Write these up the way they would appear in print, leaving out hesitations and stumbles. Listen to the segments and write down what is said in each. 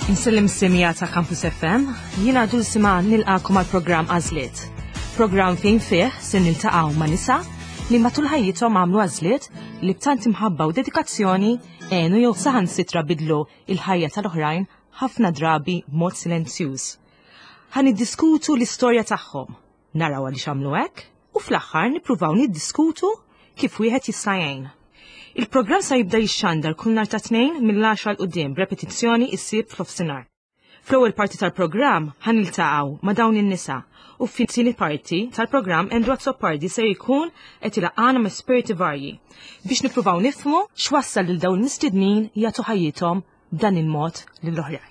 Insellem semija ta' Campus FM, jiena Dulcima nilqakom għal programm Għażliet. Programm fejn fih se niltaqgħu ma' nisa li matul ħajjithom għamlu għażliet li b'tant imħabba u dedikazzjoni għenu jew saħansitra bidlu il-ħajja tal-oħrajn ħafna drabi b'mod silenzjuż. Ħa niddiskutu l-istorja tagħhom, naraw għaliex għamlu hekk u fl-aħħar nippruvaw niddiskutu kif wieħed jista' jgħin. Il-programm sa jibda jixxandar kull nhar ta' tnejn mill-10 'l quddiem b'repetizzjoni issib f'nofsinhar. Fl-ewwel parti tal-programm ħa niltaqgħu ma' dawn in-nisa u fit-tieni parti tal-programm Andrew Azzopardi se jkun qed ilaqqana ma' esperti varji biex nippruvaw nifhmu x'wassal lil dawn il-mistednin jagħtu ħajjithom b'dan il-mod lill-oħrajn.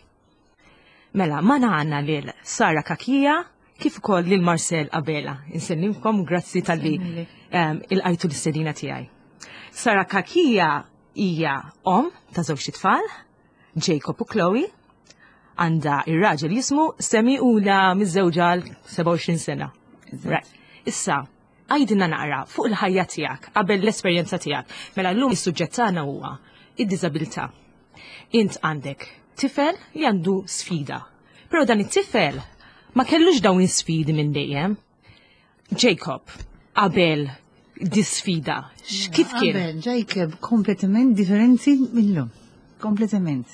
Mela, ma għandna lil Sara Kakija kif ukoll lil Marcel Abela. Insellimkom grazzi talli ilqajtu l-istedina tiegħi. Sara Kakija hija om ta' żewġ tfal, Jacob u Chloe, għandha ir-raġel jismu Semi u la miżżewġa għal 27 sena. Right. Issa, għajdilna naqra fuq il-ħajja tiegħek qabel l-esperjenza tiegħek. Mela llum is-suġġett tagħna huwa id-diżabilità. Int għandek tifel li għandu sfida. Però dan it-tifel ma kellux dawn is-sfidi minn dejjem. Jacob, qabel di sfida, kif kien? Qabel Jacob kompletament differenti minnhom. Kompletament.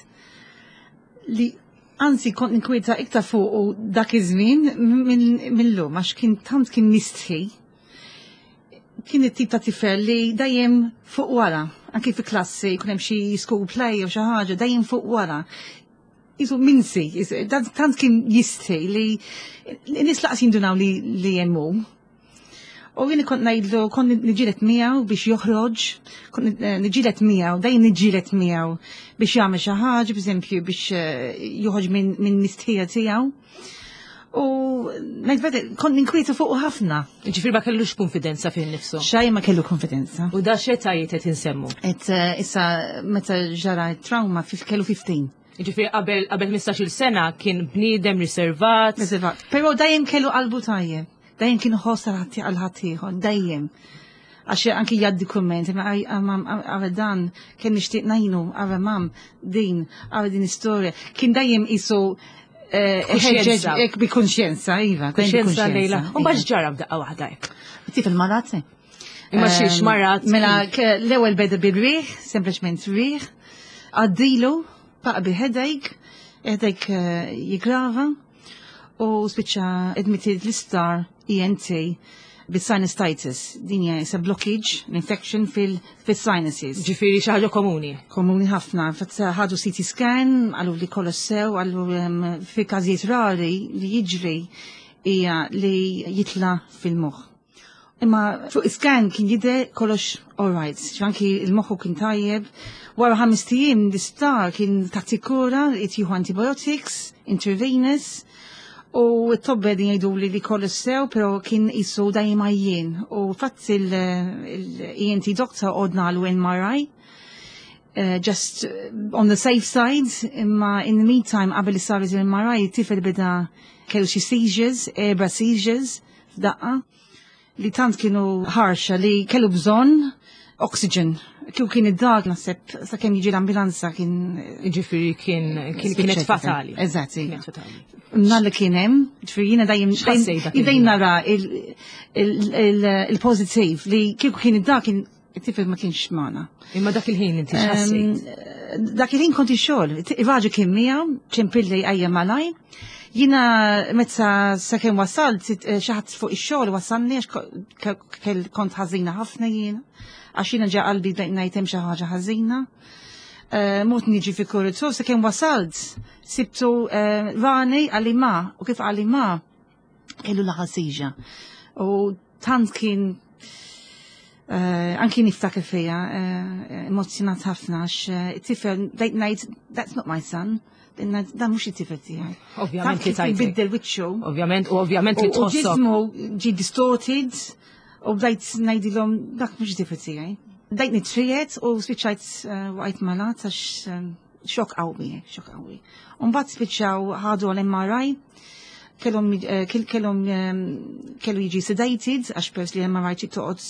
Li anzi kont ninkwieta iktar fuq u dak iż-żmien minnhom għax kien tant kien mistħi. Kien it-tip ta' tifel li dejjem fuq wara, anki fi klassi jkun hemm xi school play jew xi ħaġa, dejjem fuq wara. Isu minsi, tant kien jistħi li nies laqas jindunaw li li jemmu. U jien kont ngħidlu kont niġġieled miegħu biex joħroġ, kont niġġieled miegħu, dejjem niġġieled miegħu biex jagħmel xi ħaġa, b'eżempju biex joħroġ minn mistħija tiegħu. U ngħid kont ninkwieta fuq ħafna. Ġifieri ma kellux konfidenza fih innifsu. Xejn ma kellu konfidenza. U da x'etajiet qed insemmu? Et issa meta ġara trauma kellu 15. Ġifieri qabel qabel 15-il sena kien bniedem riservat. Riservat. Però dejjem kellu qalbu tajjeb. Dejjem kien ħoss għal ħaddieħor, dejjem. Għax anki jgħaddi kumment, imma għara dan, kien nixtieq ngħinu, għara mam, din, għara din istorja. Kien dejjem isu Kuxjenza. Ek bi kuxjenza, iva. Kuxjenza lejla. U bax ġara f'daqqa waħda hekk. Tifel marat. Imma xiex marat. Mela l-ewwel beda bil-riħ, sempliċement riħ, għaddilu, baqa bi headache, headache jigrava, u spiċċa admitted l-isptar ENT bis-sinusitis. Din hija isa blockage, l-infection fil-sinuses. Ġifieri xi ħaġa komuni. Komuni ħafna. Fatt ħadu CT scan, għallu li kollox sew, għallu fi każijiet rari li jiġri hija li jitla fil-moħħ. Imma fuq scan kien jidher kollox all right, anki il-moħħu kien tajjeb. Wara 5 ijiem l-isptar kien taħt kura, jieħu antibiotics, intravenous, u t-tobba din jgħidu li li kollox sew, pero kien isu dejjem għajjien. U fatt il-ENT doctor ordnalu MRI, just on the safe side, imma in the meantime qabel saret il-MRI, tifel beda kellu xi seizures, erba' seizures f'daqqa, li tant kienu ħarxa li kellu bżonn oxygen. Kieku kien id-dar naħseb sakemm jiġi l-ambulanza kien Ġifieri kien kienet fatali. Eżatt. Kienet fatali. Nhar li kien hemm, ġifieri jiena dejjem X'ħassejt dak dejjem il-ħin? nara il-pożittiv li kieku kien id-dar kien it-tifel ma kienx magħna. Imma dak il-ħin inti x'ħassejt? Dak il-ħin konti xogħol, ir-raġel kien miegħu, ċempilli ejja malaj. Jiena meta sakemm wasalt, xi ħadd fuq ix-xogħol wasalni għax kont ħażina ħafna jiena. Għax jiena ġa qalbi bdejt ngħid hemm xi ħaġa ħażina. Mort niġi fi kuritur, sakemm wasalt, sibtu rani għalli ma, u kif għalli ma, kellu l-ħasiġa. U tant kien anki niftakar fija, emozjonat ħafna, għax it-tifel, bdejt ngħid, that's not my son. Dan mhux it-tifel tiegħi. Ovvjament Tant li kif tajtek. Biddel wiċċu. Ovvjament, u ovvjament li U tħossok. ġismu ġi distorted, u bdejt ngħidilhom dak mhux it-tifel tiegħi. Bdejt nitrijet u spiċċajt waqajt malat għax xokk qawwi, xokk qawwi. U mbagħad spiċċaw ħadu għal MRI, kellu jiġi sedated għax pers li MRI trid toqgħod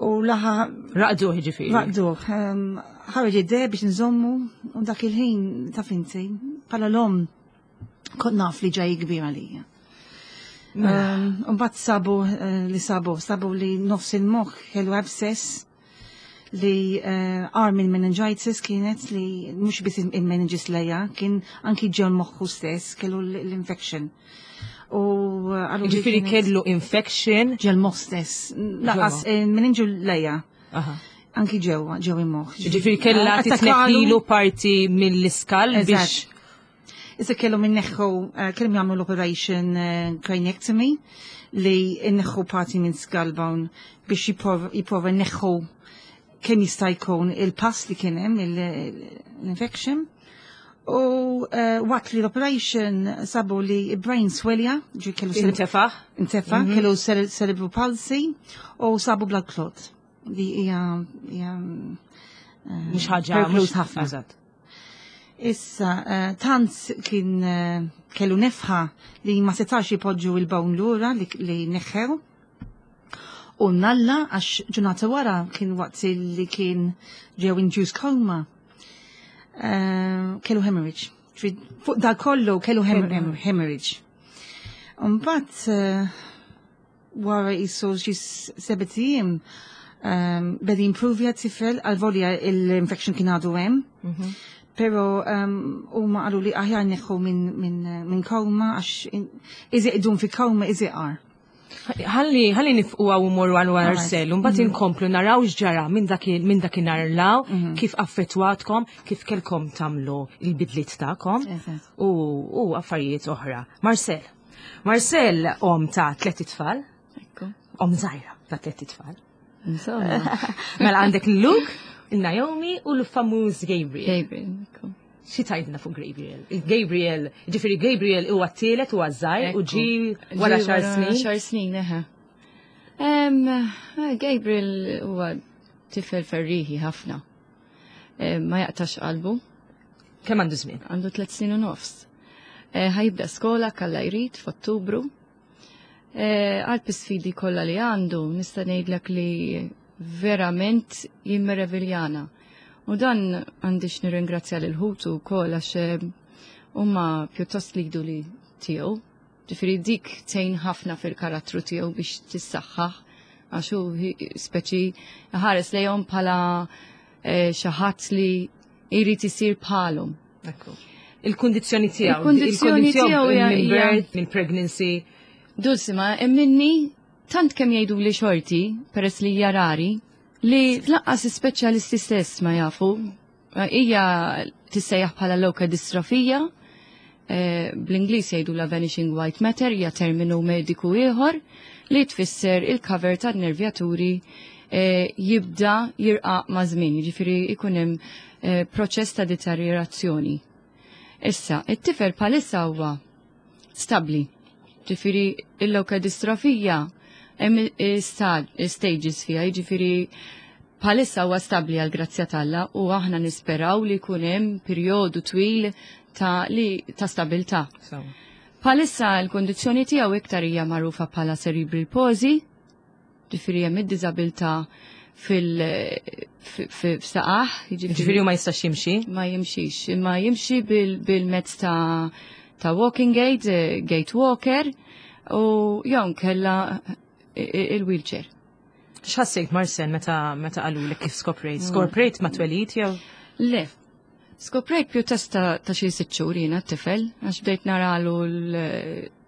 u laħa Raqduh ġifieri. Raqduh. Ħareġ id-deb biex nżommu u dak il-ħin taf inti. Bħala l-omm kont naf li ġaj kbir għalija. Mela. Mbagħad sabu eh, li sabu, sabu li nofs il-moħħ kellu abscess li eh, għar minn meningitis kienet li mhux biss il-meningis lejja, kien anki ġew moħħu stess kellu l-infection. U eh, Ġifieri kellu infection ġel moħħ stess. Laqas il-meninġu lejja. Anki ġewwa, ġew il-moħħ. Ġifieri kellha titneħħilu parti mill-iskal biex Issa kellhom inneħħu eh, kellhom jagħmlu l-operation eh, craniectomy li inneħħu parti minn skull bone biex jipprova neħħu kemm jista' jkun il-pass li kien hemm l-infection. U eh, waqt li l-operation sabu li brain swelja, ġi kellu intefa. Intefa, mhm. kellu cerebral palsy u sabu blood clot li hija mhux ħaġa mhux ħafna. Issa, eh, tant kien eh, kellu nefħa li ma setax jipoġġu il-bawn lura li, li neħħew. U nalla għax ġurnata wara kien waqt li kien ġew induced coma. Eh, kellu hemorrhage. Fuq da kollu kellu hemorrhage. Mbagħad wara jisu xi sebet ijiem um, beda jimprovja t-tifel għal-volja l-infection kien għadu hemm. Mhm. Pero um, huma qalu li aħjar neħu minn min, min koma għax iżiq idum fi koma iżiq għar. Ħalli ħalli nifqu għaw umorru għal wara Marcel, mbagħad mhm. inkomplu naraw x'ġara minn minn dakinhar law, mhm. kif affettwatkom, kif kelkom tagħmlu il-bidliet tagħkom u, u affarijiet oħra. Marcel. Marcel om ta' tlet itfal. Om zaħira ta' tlet itfal. Insomma. Mela għandek Luke, il-Naomi u l-famuż Gabriel. Gabriel, Xi tajdna fuq Gabriel? Gabriel, ġifieri Gabriel huwa t-tielet huwa żgħir u ġi wara xar snin. Xar snin, eħe. Eh, Gabriel huwa tifel ferriħi ħafna. Eh, ma jaqtax qalbu. Kemm għandu żmien? Għandu tliet snin u nofs. Eh, ħajibda skola kalla jrid f'Ottubru. Eh, għal sfidi kollha li għandu, nista' ngħidlek li verament jimmereviljana. U dan għandix nirringrazzja lil ħutu wkoll għax eh, huma pjuttost lidu li tiegħu. Ġifieri dik tgħin ħafna fil-karattru tiegħu biex tissaħħaħ għax hu speċi ħares lejhom bħala xi ħadd li jrid isir bħalhom. Ekku. Il-kundizzjoni tiegħu. Il-kundizzjoni tiegħu minn birth, minn pregnancy. Dulsima, minni tant kemm jgħidu li xorti, peress li hija rari, li tlaqqas ispeċjalisti stess ma jafu. Hija tissejjaħ bħala loka distrofija, eh, bl-Ingliż jgħidu la vanishing white matter, hija terminu mediku ieħor li tfisser il-cover tan-nervjaturi eh, jibda jirqaq ma' żmien, jiġifieri jkun hemm eh, proċess ta' deteriorazzjoni. Issa, it-tifel bħalissa huwa stabbli. Ġifieri il-leukodistrophija hemm stages fiha, jiġifieri bħalissa huwa stabbli għal grazzja t'Alla u aħna nisperaw li jkun hemm perjodu twil ta' li ta' stabilità. Bħalissa l-kondizzjoni tiegħu iktar hija magħrufa bħala cerebral palsy, ġifieri hemm id-diżabilità fil-saqaħ. Ġifieri ma jistax jimxi? Ma jimxix, imma jimxi bil-mezz ta' ta' walking aid, eh, gate walker, u jew kella eh, il-wheelchair. X'ħassejt Marcel meta meta qalulek kif skoprejt? Skoprejt ma twelid jew? Le, Skoprejt pjuttost ta' xi sitt xhur jiena t-tifel, għax bdejt naralu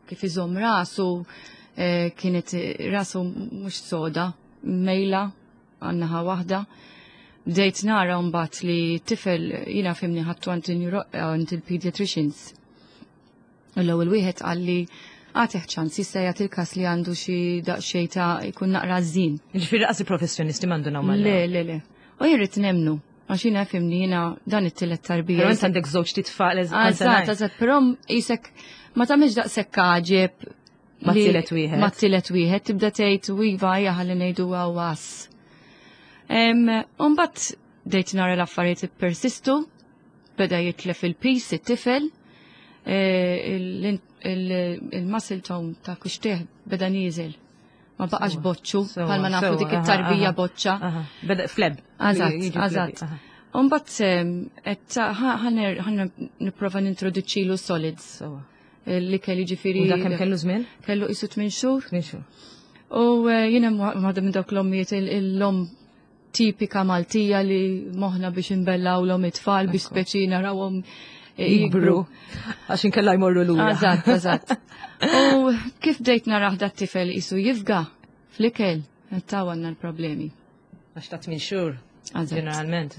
kif iżomm rasu, eh, kienet rasu mhux soda, mejla għan-naħa waħda. Bdejt nara mbagħad li t-tifel jiena fimni ħadtu għand il-pediatricians. L-ewwel wieħed qalli għatih ċans jista' jagħti il-każ li għandu xi daqsxejn ta' jkun naqra żin. Ġifieri qas il-professjonisti m'għandu mal Le, le, le. U jien rrid nemnu, għax jiena fimni jiena dan it-tielet tarbija. Però int għandek żewġ titfal eżatt. Eżatt, però isek ma tagħmilx daqshekk għaġeb ma tielet wieħed. Ma tielet wieħed tibda tgħid u iva hija ħalli ngħidu għawas. Umbagħad dejt nara l-affarijiet ippersistu, Beda jitlef il-pis it-tifel, eh, il-muscle tone ta' kuxtieħ beda nieżel. Ma baqax boċċu, bħalma nafu dik it-tarbija boċċa. Beda fleb. Eżatt, eżatt. Umbat ħan nipprova nintroduċilu solids. Li kelli ġifieri. U dak kemm kellu żmien? Kellu qisu 8 xhur. 8 xhur. U jiena waħda minn dawk l-ommijiet, l-om tipika Maltija li moħna biex inbellawlhom it-tfal biex speċi narawhom jikbru. Għax inkella jmorru lura. Eżatt. U kif bdejt naraħ dat tifel isu jifga fl-ikel, taw għandna l-problemi. Għax ta' 8 xhur. Ġeneralment,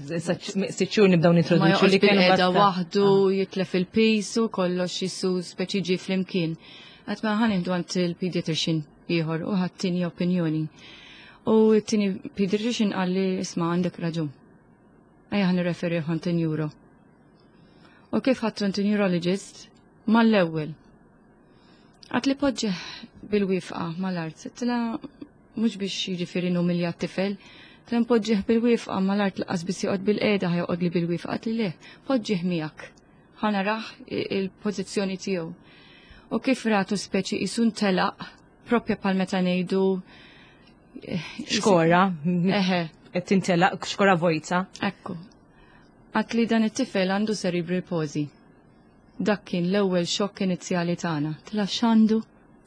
sitt xhur nibdew nintroduċu li kienu qiegħda waħdu, jitlef il-pisu, kollox jisu speċi ġi flimkien. Għat ma ħan għand il-pediatrician ieħor u ħadd tieni opinjoni. U t-tieni pediatrician qalli, "Isma', għandek raġun. Ejja ħan nirreferi għand neuro." U kif ħadd għand neurologist, mal-ewwel. Għat li poġġeħ bil-wifqa mal-art. Tla mhux biex jiġifieri numilja t-tifel, tla npoġġih bil-wifqa mal-art, laqas biss joqgħod bil-qiegħda, ħa joqgħod li bil-wifqa. Għat li le, poġġih miegħek. Ħa naraħ il-pożizzjoni tiegħu. U kif ratu speċi jisun telaq, propja pal meta ngħidu Xkora. Eħe. Qed tintelaq xkora vojta. Ekku. Għat li dan it-tifel għandu cerebral palsy. Dak kien l-ewwel xokk inizjali tagħna. Tla x'għandu?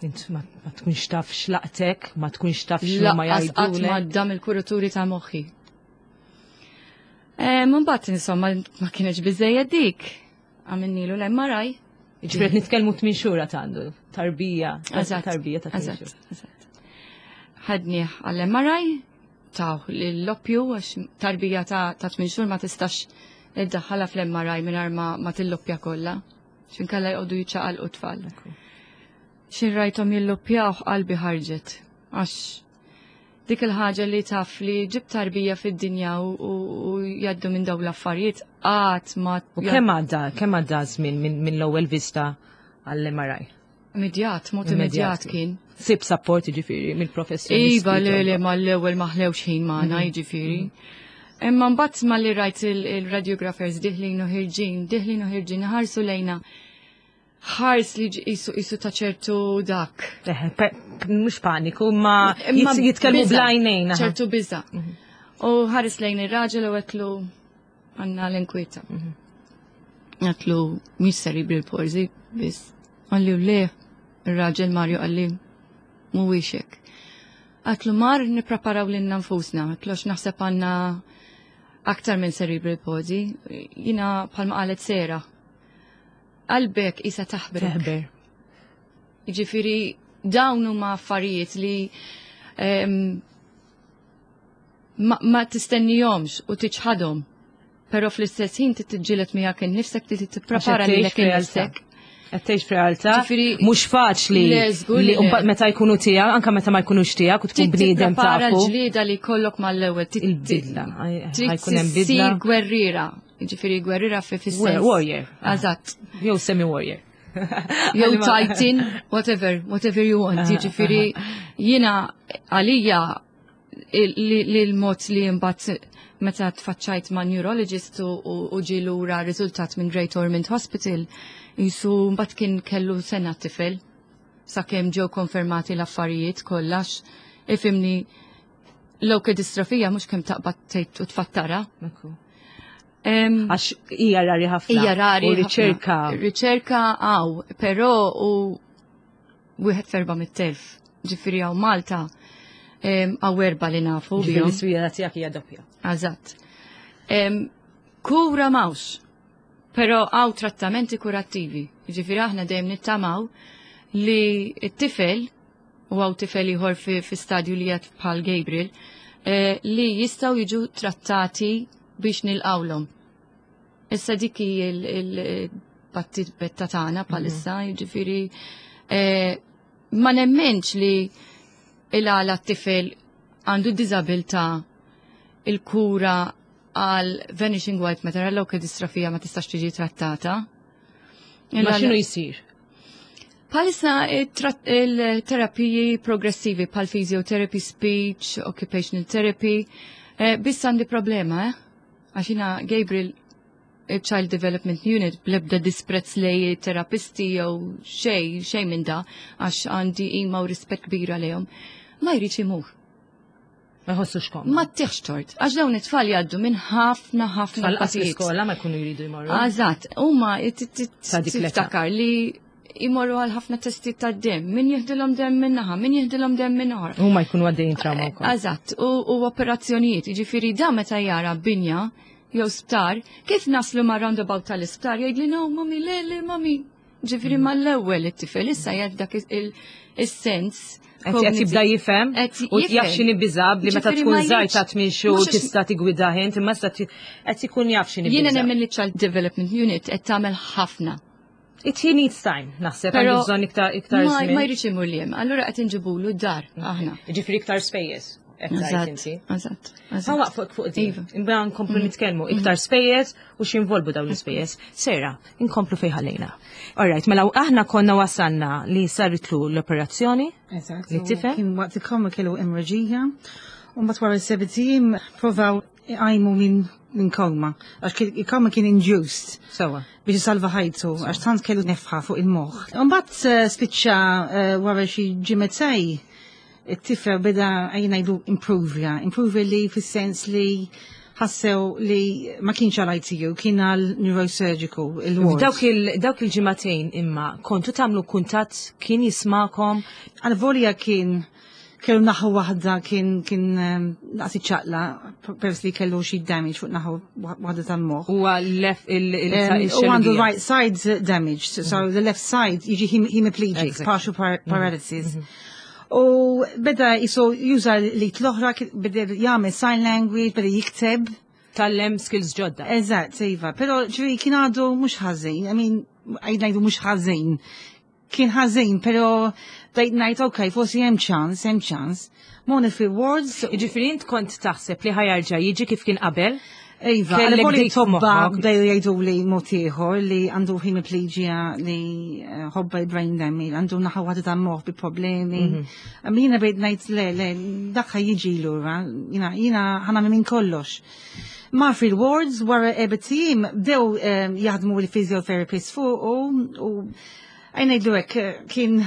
Int ma tkunx taf x'laqtek, ma tkunx taf x'ma Lanqas qatt jgħidulek. ma dam il-kuraturi ta' moħħi. Mbagħad insomma ma kienx biżejjed dik. Għamilnilu l-MRI. Ġifieri qed nitkellmu 8 xhur għad għandu, tarbija, tarbija ta' 8 xhur. Eżatt. Ħadnieh għall-MRI, taw l-loppju, għax tarbija ta' 8 xhur ma tistax iddaħħalha fl-MRI mingħajr ma tilloppja kollha. X'inkella jqogħdu jiċċaqalqu tfal. Xin rajthom jilloppjaw qalbi ħarġet. Għax dik il-ħaġa li taf li ġib tarbija fid-dinja u jgħaddu minn dawn l-affarijiet qatt ma U kemm għadda żmien minn l-ewwel vista għall-MRI? Immedjat, mod immedjat kien. Sib support ġifieri mill-professjonisti. Iva, le, ma l-ewwel ma ħlewx ħin magħna, jiġifieri. Imma mbagħad ma li rajt il-radiographers diħlin u ħirġin, diħlin u ħirġin, ħarsu lejna. Ħars li jisu ta' ċertu dak. Mhux paniku, ma Imma jitkellmu biża', bl-għajnejn. ċertu biża. U ħares lejn ir-raġel u għetlu għandna l-inkwita. Għetlu mhix cerebral palsy, biss. Għalli u le, ir-raġel Mario għalli mhuwiex hekk. Għatlu mar nippreparaw lilna nfusna, għatlu għax naħseb għandna aktar minn cerebral palsy. Jina bħalma qalet Sera. Qalbek isa taħbrek. Teħber. Jiġifieri dawn huma affarijiet li ma tistennihomx u tiċħadhom. Però fl-istess ħin tiġġieled miegħek innifsek, trid tipprepara Għax qed lilek tgħix f'realtà. innifsek. Qed tgħix f'realtà Ġifieri- mhux faċli Le, żgur li li le. mbagħad meta jkunu tiegħek, anke meta ma jkunux tiegħek u tkun Trid bniedem tipprepara tafu. l-ġlieda li jkollok mal-ewwel. Il-bidla, Trid ħajkun hemm bidla. ssir gwerriera. Jiġifieri gwerriera fi fis-sens. Warrior. Eżatt. Jew semi-warrior. Jew titan, whatever, whatever you want. Jiġifieri jiena għalija li l-mod li mbagħad meta tfaċċajt ma' neurologist u ġie lura riżultat minn Great Ormond Hospital, jisu mbagħad kien kellu sena tifel sakemm ġew konfermati l-affarijiet kollax. Ifimni, l-distrofija mhux kemm taqbad tgħid u tfattara. Għax hija rari ħafna. Hija rari. U ħafna. riċerka. Riċerka għaw, però u wieħed f'400,000. Ġifieri hawn Malta għaw erba li nafu Ġifieri bihom. l-isfida tiegħek hija doppja. Eżatt. Kura m'hawnx, però għaw trattamenti kurattivi. Ġifieri aħna dejjem nittamaw li t-tifel, u għaw tifel ieħor fi stadju li jgħat bħal Gabriel, li jistgħu jiġu trattati biex nilqawlhom. Issa dik hi il-battibetta tagħna bħalissa, jiġifieri ma nemmenx li il-għala t-tifel għandu diżabilità, il-kura għal vanishing white matter, għal distrofija ma tistax tiġi trattata. Ma x'inhu jsir? Bħalissa il-terapiji progressivi bħal physiotherapy, speech, occupational therapy, biss għandi problema, eh? Għax jiena Gabriel Child Development Unit, blebda disprezz lej terapisti jew xej, xej minn da, għax għandi ima u rispett kbira lejhom, ma jridx imur. Ma jħossux kom. Ma tiħx tort, għax dawn it-tfal jgħaddu minn ħafna ħafna Tfal qas l-iskola ma jkunu jridu jmorru. Eżatt, huma tiftakar li jmorru għal ħafna testi ta' dem, min jihdilhom dem minn naħa, min jihdilhom dem minn oħra. Huma jkunu għaddejjin trauma wkoll. Eżatt, u operazzjonijiet, jiġifieri da meta jara binja jew sptar, kif naslu ma' roundabout tal-isptar jgħidli no, mami, le, le, mami. Ġifieri mal-ewwel it-tifel issa jgħid dak is-sens. Qed jibda jifhem u jaf x'inhi biżab li meta tkun żgħir ta' tmien xhur tista' tigwida int imma issa qed ikun jaf x'inhi Jiena nemmen li Child Development Unit qed tagħmel ħafna. It he needs time, naħseb għandu bżonn iktar iktar żmien. Ma jridx imur li hemm, allura qed inġibulu d-dar aħna. Ġifieri iktar spejjeż. Eżatt, eżatt. Ma waqfok fuq din. Iva. Imbagħad nkomplu nitkellmu iktar spejjeż u x'involbu dawn l-ispejjeż. Sera, inkomplu fejn ħallejna. Alright, mela aħna konna wasalna li saritlu l-operazzjoni. Eżatt. Li tifel. Kien waqt il-koma kellu emreġija. U mbagħad wara s-sebtijiem provaw iqajmu minn min koma. Għax il-koma kien induced. Sewa. Biex isalva ħajtu, għax tant kellu nefħa fuq il-moħħ. Mbagħad eh, spiċċa eh, wara xi ġimgħetej it-tifel beda ejja ngħidu improvja, improvja li fis-sens li ħassew li ma kienx għal ITU, kien għal neurosurgical il-ward. Dawk il-ġimagħtejn imma kontu tagħmlu kuntatt kien jismakom? Għal volja kien kellu naħu waħda kien kien ehm, naqsi ċaqla peress li kellu xi damage fuq naħu waħda tal-moħħ. Huwa left il ehm, U għandu right side damage, so the left side jiġi hemiplegic, partial paralysis. U beda jisu juża li l-oħra, beda jagħmel sign language, beda jikteb. Tallem skills ġodda. Eżatt, iva. Però ġifieri kien għadu mhux ħażin, I mean, ngħidu mhux ħażin. Kien ħażin, però bdejt ngħid ok, forsi hemm ċans, hemm ċans. Moni fi wards. Jiġifieri int kont taħseb li ħajarġa' jiġi kif kien qabel? Iva, Kellek għalli dik tobba f'moħħok. bdew jgħidu li mod ieħor li għandu hemiplegia li eh, ħobba brain damage, għandu naħa waħda ta' moħħ bi problemi. Imma Jiena bejt ngħid le, le, dak ħa jiġi lura, jiena jiena ħa nagħmel minn kollox. Mar fil-wards wara erbat ijiem bdew eh, jaħdmu il-physiotherapist fuq u ejja ngħidlu hekk eh, kien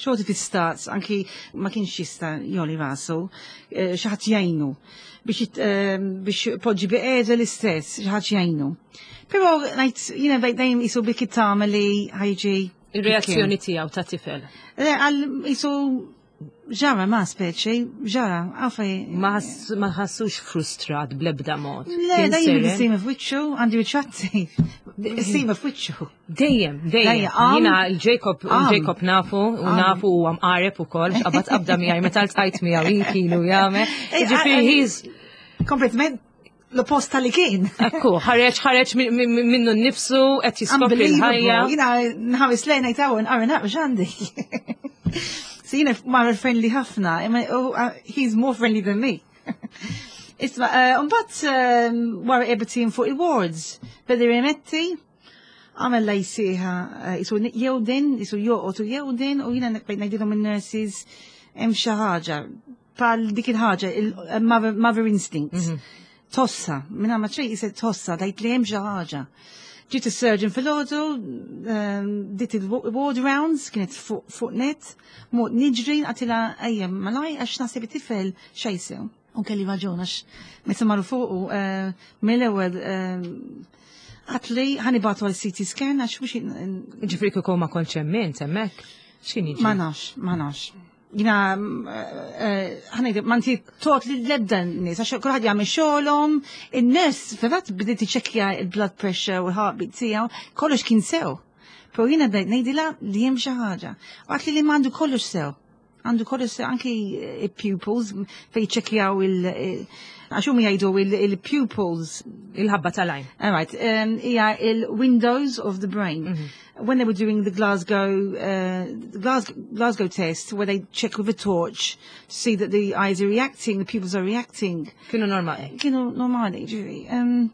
xorti fi stat, anki ma kienx jista joli rasu, eh, xi ħadd jgħinu biex eh, biex poġġi biqiegħda l-istess, xi ħadd jgħinu. Però ngħid jiena bejt dejjem isu bik it-tama li ħajġi Ir-reazzjoni tiegħu ta' tifel. Le, għal isu ġara ma speċi, ġara, għafaj. Ma ħassux frustrat bl-ebda mod. Le, Kien dejjem seren. il-sima f'wiċċu, għandi ritratti, il-sima f'wiċċu. Dejjem, dejjem. Dejjem, għam. Jina il-Jacob, Għam. il-Jacob nafu, u Għam. nafu u għam qareb u kol, xqabat qabda miegħi, meta ltqajt miegħu jien kienu jagħmel. Ej, Ġifieri he's Kompletament l-oppost tal-li kien. ekku, ħareġ ħareġ minnu nnifsu qed jiskopri l-ħajja. Jina nħares lejn ngħid hawn nqara naqra x'għandi. So jina mar friendly ħafna, imma he's more friendly than me. Isma, mbagħad wara erbat ijiem fuq il-wards, beda rimetti, għamel la jisiħa, jisu jewden, jisu joqgħod u jewden, u jina bejt ngħidilhom in-nurses hemm xi ħaġa pal dik il-ħaġa, il-mother instinct. Tossa, minna ma ċej jiset tossa, dajt li hemm xi ħaġa. Ġiet is-surgeon fil-ħodu, dit il-ward rounds, kienet fuq net, mort niġri, għedtilha ejja malaj, għax naħseb it-tifel xejsew. U kelli raġun, għax meta marru fuqu, mill-ewwel għedtli ħa nibagħtu għal CT scan, għax mhux Ġifieri kieku ma kontx hemm int hemmhekk. X'kien jiġri? Ma nafx, ma nafx. Jina, ħa ngħidu, ma nti tot li l-ebda nies, għax kulħadd jagħmel xogħolhom, in-nies fil-fatt bdiet tiċċekkja il-blood pressure u l-heartbeat tiegħu, kollox kien sew. Però jiena bdejt ngħidilha li hemm xi ħaġa. U għedtli li m'għandu kollox sew. Għandu kollox sew anki il-pupils fejn jiċċekkjaw il- għax huma jgħidu il-pupils Il-ħabba tal-għajn. All right, hija il-windows of the brain. When they were doing the Glasgow test, where they check with a torch to see that the eyes are reacting, the pupils are reacting. Kienu normali. Kienu normali, ġifieri.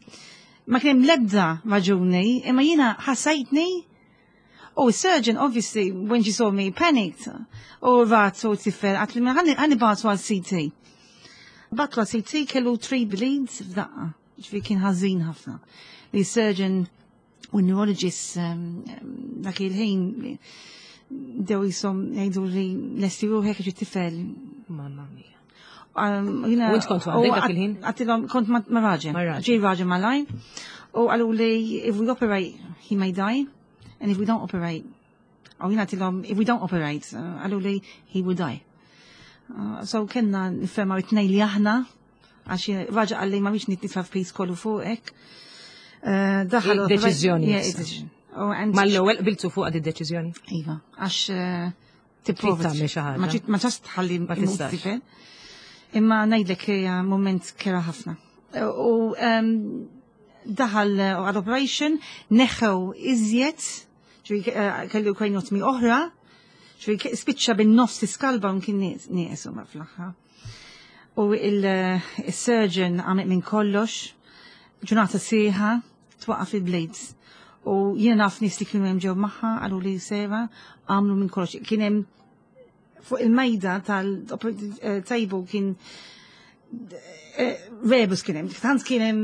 Ma kien hemm l-ebda raġuni, imma jiena ħassajtni. Oh, surgeon, obviously, when she saw me, panicked. U ratu tifel, għedtli, ħa nibagħtu għal CT. Bagħtu għal CT kellu 3 bleeds f'daqqa. Ġifieri kien ħażin ħafna. The surgeon u neurologist dak il-ħin dew jisom jgħidu li lesti ruħek ġi tifel. Mamma mia. U int kont waħdek dak il-ħin? Għedtilhom kont ma' raġel. Ġie raġel malajr. U qallu li if we operate, he may die. And if we don't operate, u jiena għedtilhom, if we don't operate, qallu li he will die. So kellna niffirmaw it-tnejn li aħna, għax raġel qalli ma rridx nitfa' piż kollu fuqek. Daħal Deċiżjoni. Mal-ewwel qbiltu fuq għad id-deċiżjoni? Iva, għax tipprova tagħmel xi ħaġa. Ma tistax tħalli Ma tistax. Imma ngħidlek hija moment kerha ħafna. U daħal għal operation, neħħew iżjed, ġifieri kellu craniotomy oħra, ġifieri spiċċa bin-nofs is-skull bone kien nieqes huma fl-aħħar. U il-surgeon għamel minn kollox, ġurnata sħiħa, twaqqaf il-blades. U jiena naf nies li kienu hemm ġew magħha, qalu li sera, għamlu minn kollox. Kien hemm fuq il-mejda tal-table kien rebus kien hemm, tant kien hemm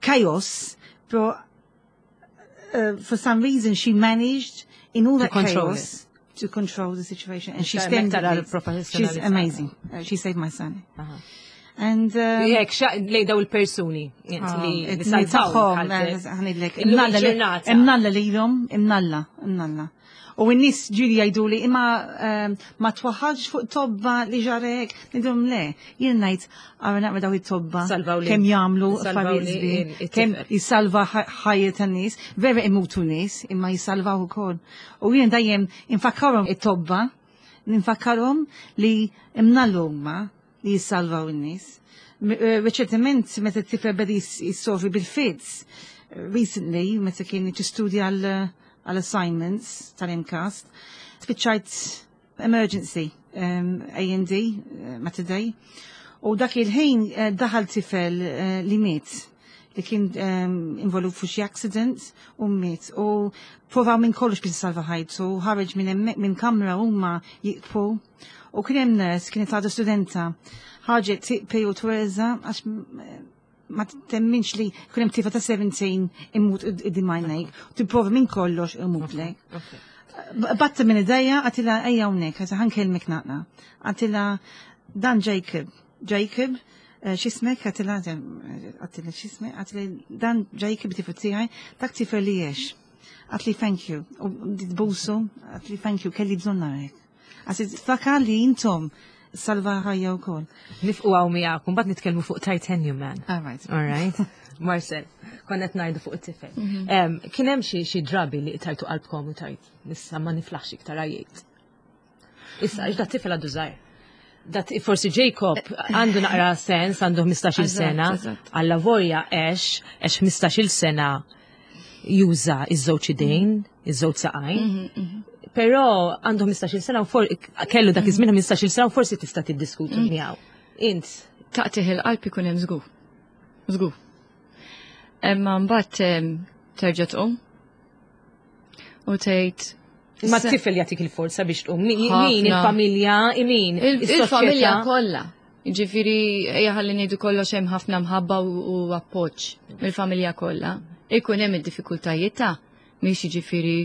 chaos, pero for some reason she managed in all that chaos to control the situation and she stands. She's amazing. She saved my son. And Jek, lej daw il-persuni li salvaw. Ħa ngħidlek, imnalla lilhom, imnalla, imnalla. U n-nies ġieli jgħidu li imma ma twaħħalx fuq tobba li ġarek, ngħidilhom le, jien ngħid għara naqra daw it-tobba kemm jagħmlu affarijiet kemm jisalva ħajja tan-nies, vera imutu nies, imma jisalvaw ukoll. U jien dejjem infakkarhom it-tobba, ninfakkarhom li imnallu huma li jissalvaw in-nies. Reċentement meta t-tifel beda jissofri bil-fits, recently meta kien tistudja għal assignments tal-MCAST, spiċċajt emergency A&D Mater Dei. U dak il-ħin daħal tifel li miet li kien involut fuq xi accident u miet. U provaw minn kollox biex salva ħajtu, ħareġ minn minn kamra huma jibku. U kien hemm nurse kienet għadha studenta. Ħarġet tibki u twerżaq għax ma temminx li kien hemm tifel ta' 17 imut quddiem għajnejk. Tipprova minn kollox imut lek. Batta minn idejja, għedtilha ejja hawnhekk, għax ħa nkellmek naqra. Għedtilha dan Jacob, Jacob, x'ismek, għedtilha, għedtilha x'ismek, għedtilha dan Jacob tifel tiegħi, dak tifel li jiex. Għedtli thank you, u busu, għedtli thank you, kelli bżonn narek. Għax fakar li intom salva ħajja u koll. Nifqu għaw miegħek, mbagħad nitkellmu fuq Titanium Man. All right. All right. Marcel, konna qed ngħidu fuq it-tifel. Kien hemm xi drabi li tajtu qalbkom u tajt, issa ma niflaħx iktar għajjejt. Issa, għax dat-tifel għadu żgħir. Dat forsi Jacob għandu naqra sens, għandu 15-il sena, għalla volja għex 15-il sena juża iż-żewġ idejn, iż-żewġ saqajn. Però għandu 15-il sena u kellu dak iż-żmien 15-il sena u forsi tista' tiddiskutu miegħu. Int. Taqtigħ il-qalb ikun hemm żgur. Żgur. Imma mbagħad terġa' tqum u tgħid Ma t-tifel jagħtik il-forza biex tqum. Min il-familja, min Il-familja kollha. Ġifieri ejja ħalli ngħidu kollox hemm ħafna mħabba u appoġġ mill-familja kollha. Ikun hemm id-diffikultajiet ta' mhix ġifieri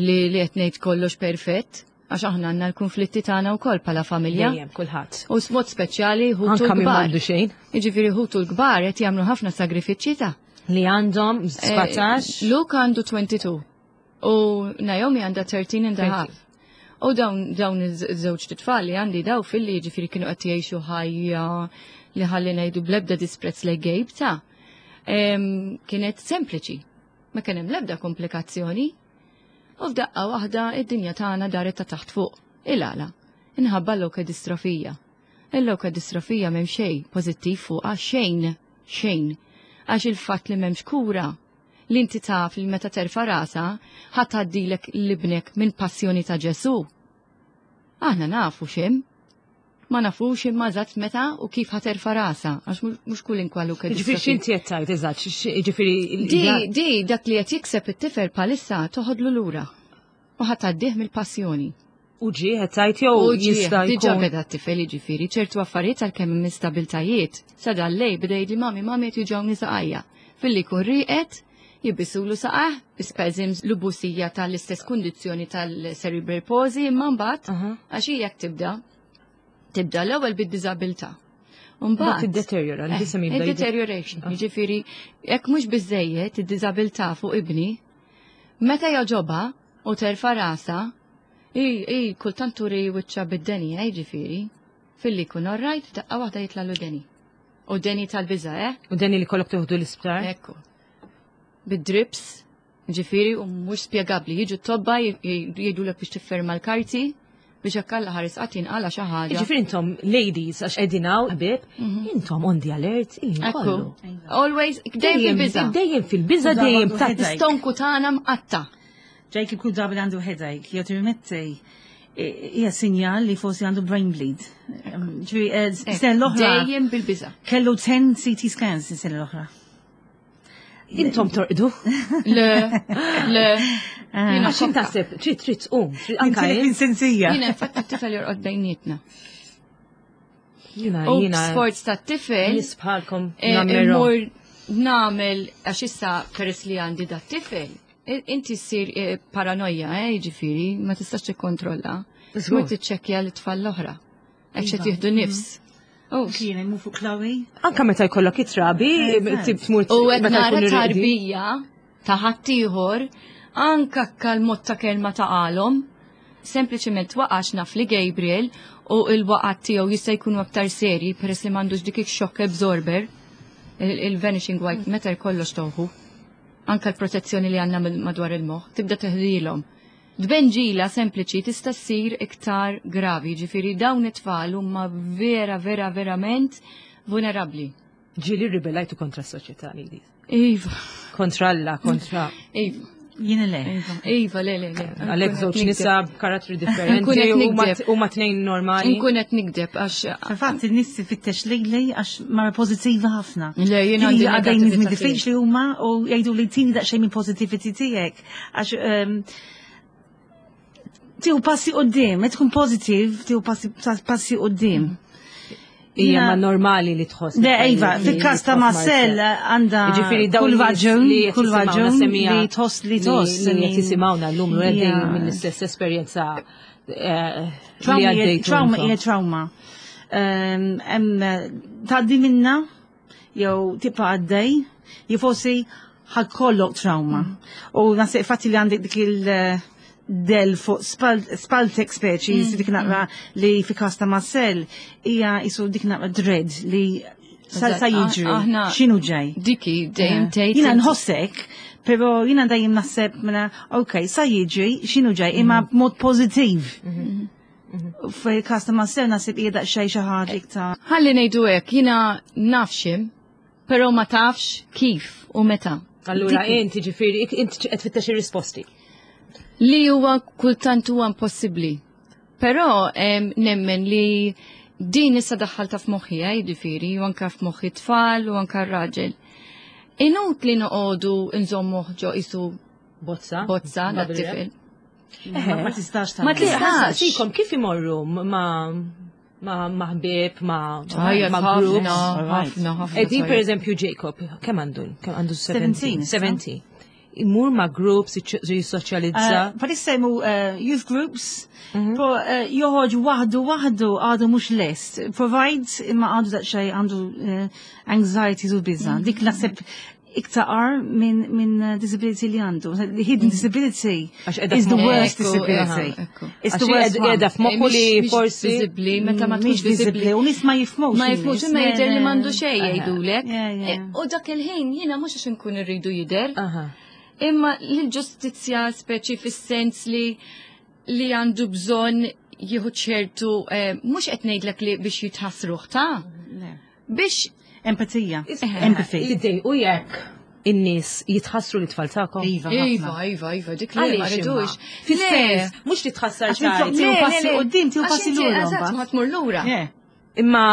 li qed ngħid kollox perfett, għax aħna għandna l-konflitti tagħna wkoll bħala familja. Dejjem kulħadd. U mod speċjali ħutu Anka min l-kbar. m'għandu xejn. Jiġifieri ħutu l-kbar qed jagħmlu ħafna sagrifiċċji ta' Li għandhom 17. Luke għandu 22 u Naomi għandha 13 and a half. U dawn iż-żewġ titfal li għandi daw fil-li ġifieri kienu qed jgħixu ħajja li ħalli ngħidu bl-ebda disprezz lejn Gabe ta' kienet sempliċi. Ma kien hemm l-ebda komplikazzjoni. U f'daqqa waħda id-dinja tagħna daret ta' taħt fuq. Il-għala. Inħabba l-leukodistrophia. Il-leukodistrophia m'hemm xejn pożittiv fuqha xejn, xejn. Għax il-fatt li m'hemmx kura li inti taf li meta terfa' rasa ħadd tgħaddilek l-ibnek minn passjoni ta' Ġesu. Aħna nafu x'hemm. Ma nafux imma eżatt meta u kif ħa terfa' rasa, għax mhux kull inkwalu Ġifieri x'inti qed tgħid eżatt, ġifieri Di dak li qed jikseb it-tifel palissa toħodlu lura u ħa tgħaddih mill-passjoni. U ġie qed tgħid jew U ġie, jista' diġà jkun. beda t-tifel jiġifieri ċertu affarijiet għalkemm hemm instabiltajiet. Sa dal-lejl beda jgħidli mami, mami qed juġgħuni saqajja. Filli jkun rieqed, jibisulu saqah, spasms l-ubusija tal-istess kundizzjoni tal-cerebral palsy, imma mbagħad għax hija jekk tibda. Tibda l-ewwel bid-diżabilità. Mbagħad tiddeteriora, l-ġisem jibda. Deterioration, ah. jiġifieri jekk mhux biżejjed id-diżabilità fuq ibni, meta joġobha u terfa' rasa, i i kultant turi wiċċa bid-deni, eh, jiġifieri, filli jkun orrajt daqqa waħda jitla' deni. U deni tal-biża, eh? U deni li kollok tuħdu l-isptar? Ekku. Bid-drips, ġifiri, u mhux spjegabbli. Jiġu t-tobba jgħidulek biex tifferma l-karti biex hekk Alla ħares qatt jinqala xi ħaġa. Ġifieri intom ladies għax qegħdin hawn ħbieb, mhm. intom on the alert kollu. Always dejjem fil-biża. Dejjem fil-biża dejjem ta' stonku tagħna mqatta. Jake kull darba li għandu headache, jew tirmetti hija sinjal li forsi għandu brain bleed. Ġifieri eh, sena l-oħra. Dejjem bil-biża. Kellu 10 CT scans is-sena l-oħra. Intom torqdu? Le, le. Ah. Għax taħseb, trid trid tqum. Anka sensija. Jiena infatti t-tifel jorqod bejnietna. Jiena jiena. Sforz ta' tifel. Nisbħalkom. Eh, immur nagħmel għax issa peress li għandi da tifel. Inti ssir eh, paranoja, eh, jiġifieri, ma tistax tikkontrolla. Tmur tiċċekkja l-tfal l-oħra. Hekk xed iva. jieħdu nifs. Mm. Oh. Kien hemm fuq Chloe. Anka meta jkollok it-trabi, tib tmur U qed nara tarbija ta' ħaddieħor, anka kal-mod ta' kelma ta' qalhom, sempliċement waqax naf li Gabriel u il-waqat tiegħu jista' jkunu aktar serji peress li m'għandux dik ix-shock absorber, il-vanishing white matter kollox toħu. Anka l-protezzjoni li għandna madwar il-moħħ, tibda teħdilhom. Tbenġila sempliċi tista' ssir iktar gravi, ġifieri dawn it-tfal huma vera vera verament vulnerabbli. Ġieli ribellajtu kontra s-soċjetà ladies. Iva. Kontra Alla, kontra. Iva. Jiena le. Iva, iva, le, le, le. Għalek żewġ nisa b'karattri differenti u ma tnejn normali. Nkun qed nikdeb għax. Fil-fatt in-nies ifittex lejli għax mara pożittiva ħafna. Le, jiena għandi għaddejn nies diffiċli huma u jgħidu li tini daqsxejn minn positivity tiegħek. Għax ehm, tieħu passi qudiem, qed tkun pożittiv, tieħu passi qudiem. Hija ma normali li tħoss. Le, Iva, fil-każ ta' Marcel għandha Ġifieri kull raġun, kull raġun li tħoss li tħoss. Li qed jisimgħuna llum u għaddejn mill-istess esperjenza eh, li għaddejt. Trauma hija trauma. Ehm, tgħaddi minna jew tibqa' għaddej, jew forsi ħakollok trauma. Mm. U naħseb fatti li għandek dik il- eh, del fuq spaltek speċi, mm. dik naqra mm. li fi kasta Marcel, hija jisu dik naqra dread li sa jiġri, xinu ġej. Diki, dejjem eh. tgħid. Jiena nħossek, pero jiena dejjem naħseb mela, ok, sa jiġri, xinu ġej, imma mm. b'mod pożittiv. Mm-hmm. Fil-kas ta' Marcel nasib hija daqsxejn xi ħaġa iktar. Ħalli ngħidu hekk, jiena naf xim, però ma tafx kif u meta. Allura inti ġifieri inti qed tfittex ir-risposti. Li huwa kultant huwa impossibbli. Però nemmen li din issa daħħalta f'moħħi, eh, jiġifieri, u anke f'moħħi tfal u anke r-raġel. Inut li noqogħdu nżommu ġo isu bozza. Bozza dat-tifel. Ma tistax Ma tistax. Sikom kif imorru ma ma ħbieb, ma ma groups. Ħafna, ħafna. Edi per eżempju Jacob, kemm għandu? Kemm għandu 17? 17. Imur ma groups, jissoċjalizza. Eh, Palissa jmu eh, youth groups, mhm. pro eh, joħorġ waħdu waħdu għadu mhux lest. Provide imma għadu daqsxejn għandu anxieties u biża. Mhm. Dik naħseb iktar ar minn min eh, disability li għandu. The hidden mm. disability is the worst disability. It's the worst one. Edha f'moħħu li forsi. Visibli, meta ma tkunx visibli. U nis ma jifmux. Ma jifmux, imma jidher li m'għandu xejn jgħidulek. Eh, u dak il-ħin jiena mhux għax inkun irridu jidher. Imma l-ġustizzja speċi fis-sens li li għandu bżonn jieħu ċertu, eh, mhux qed ngħidlek li biex jitħassruh ta' Biex empatija, empathy. Idej u jekk in-nies jitħassru li tfal tagħkom. Iva, iva, iva, iva, dik li ma rridux. Fis-sens, mhux li tħassar xejn. Tieħu passi qudiem, tieħu passi lura. Eżatt, ma tmur lura. Imma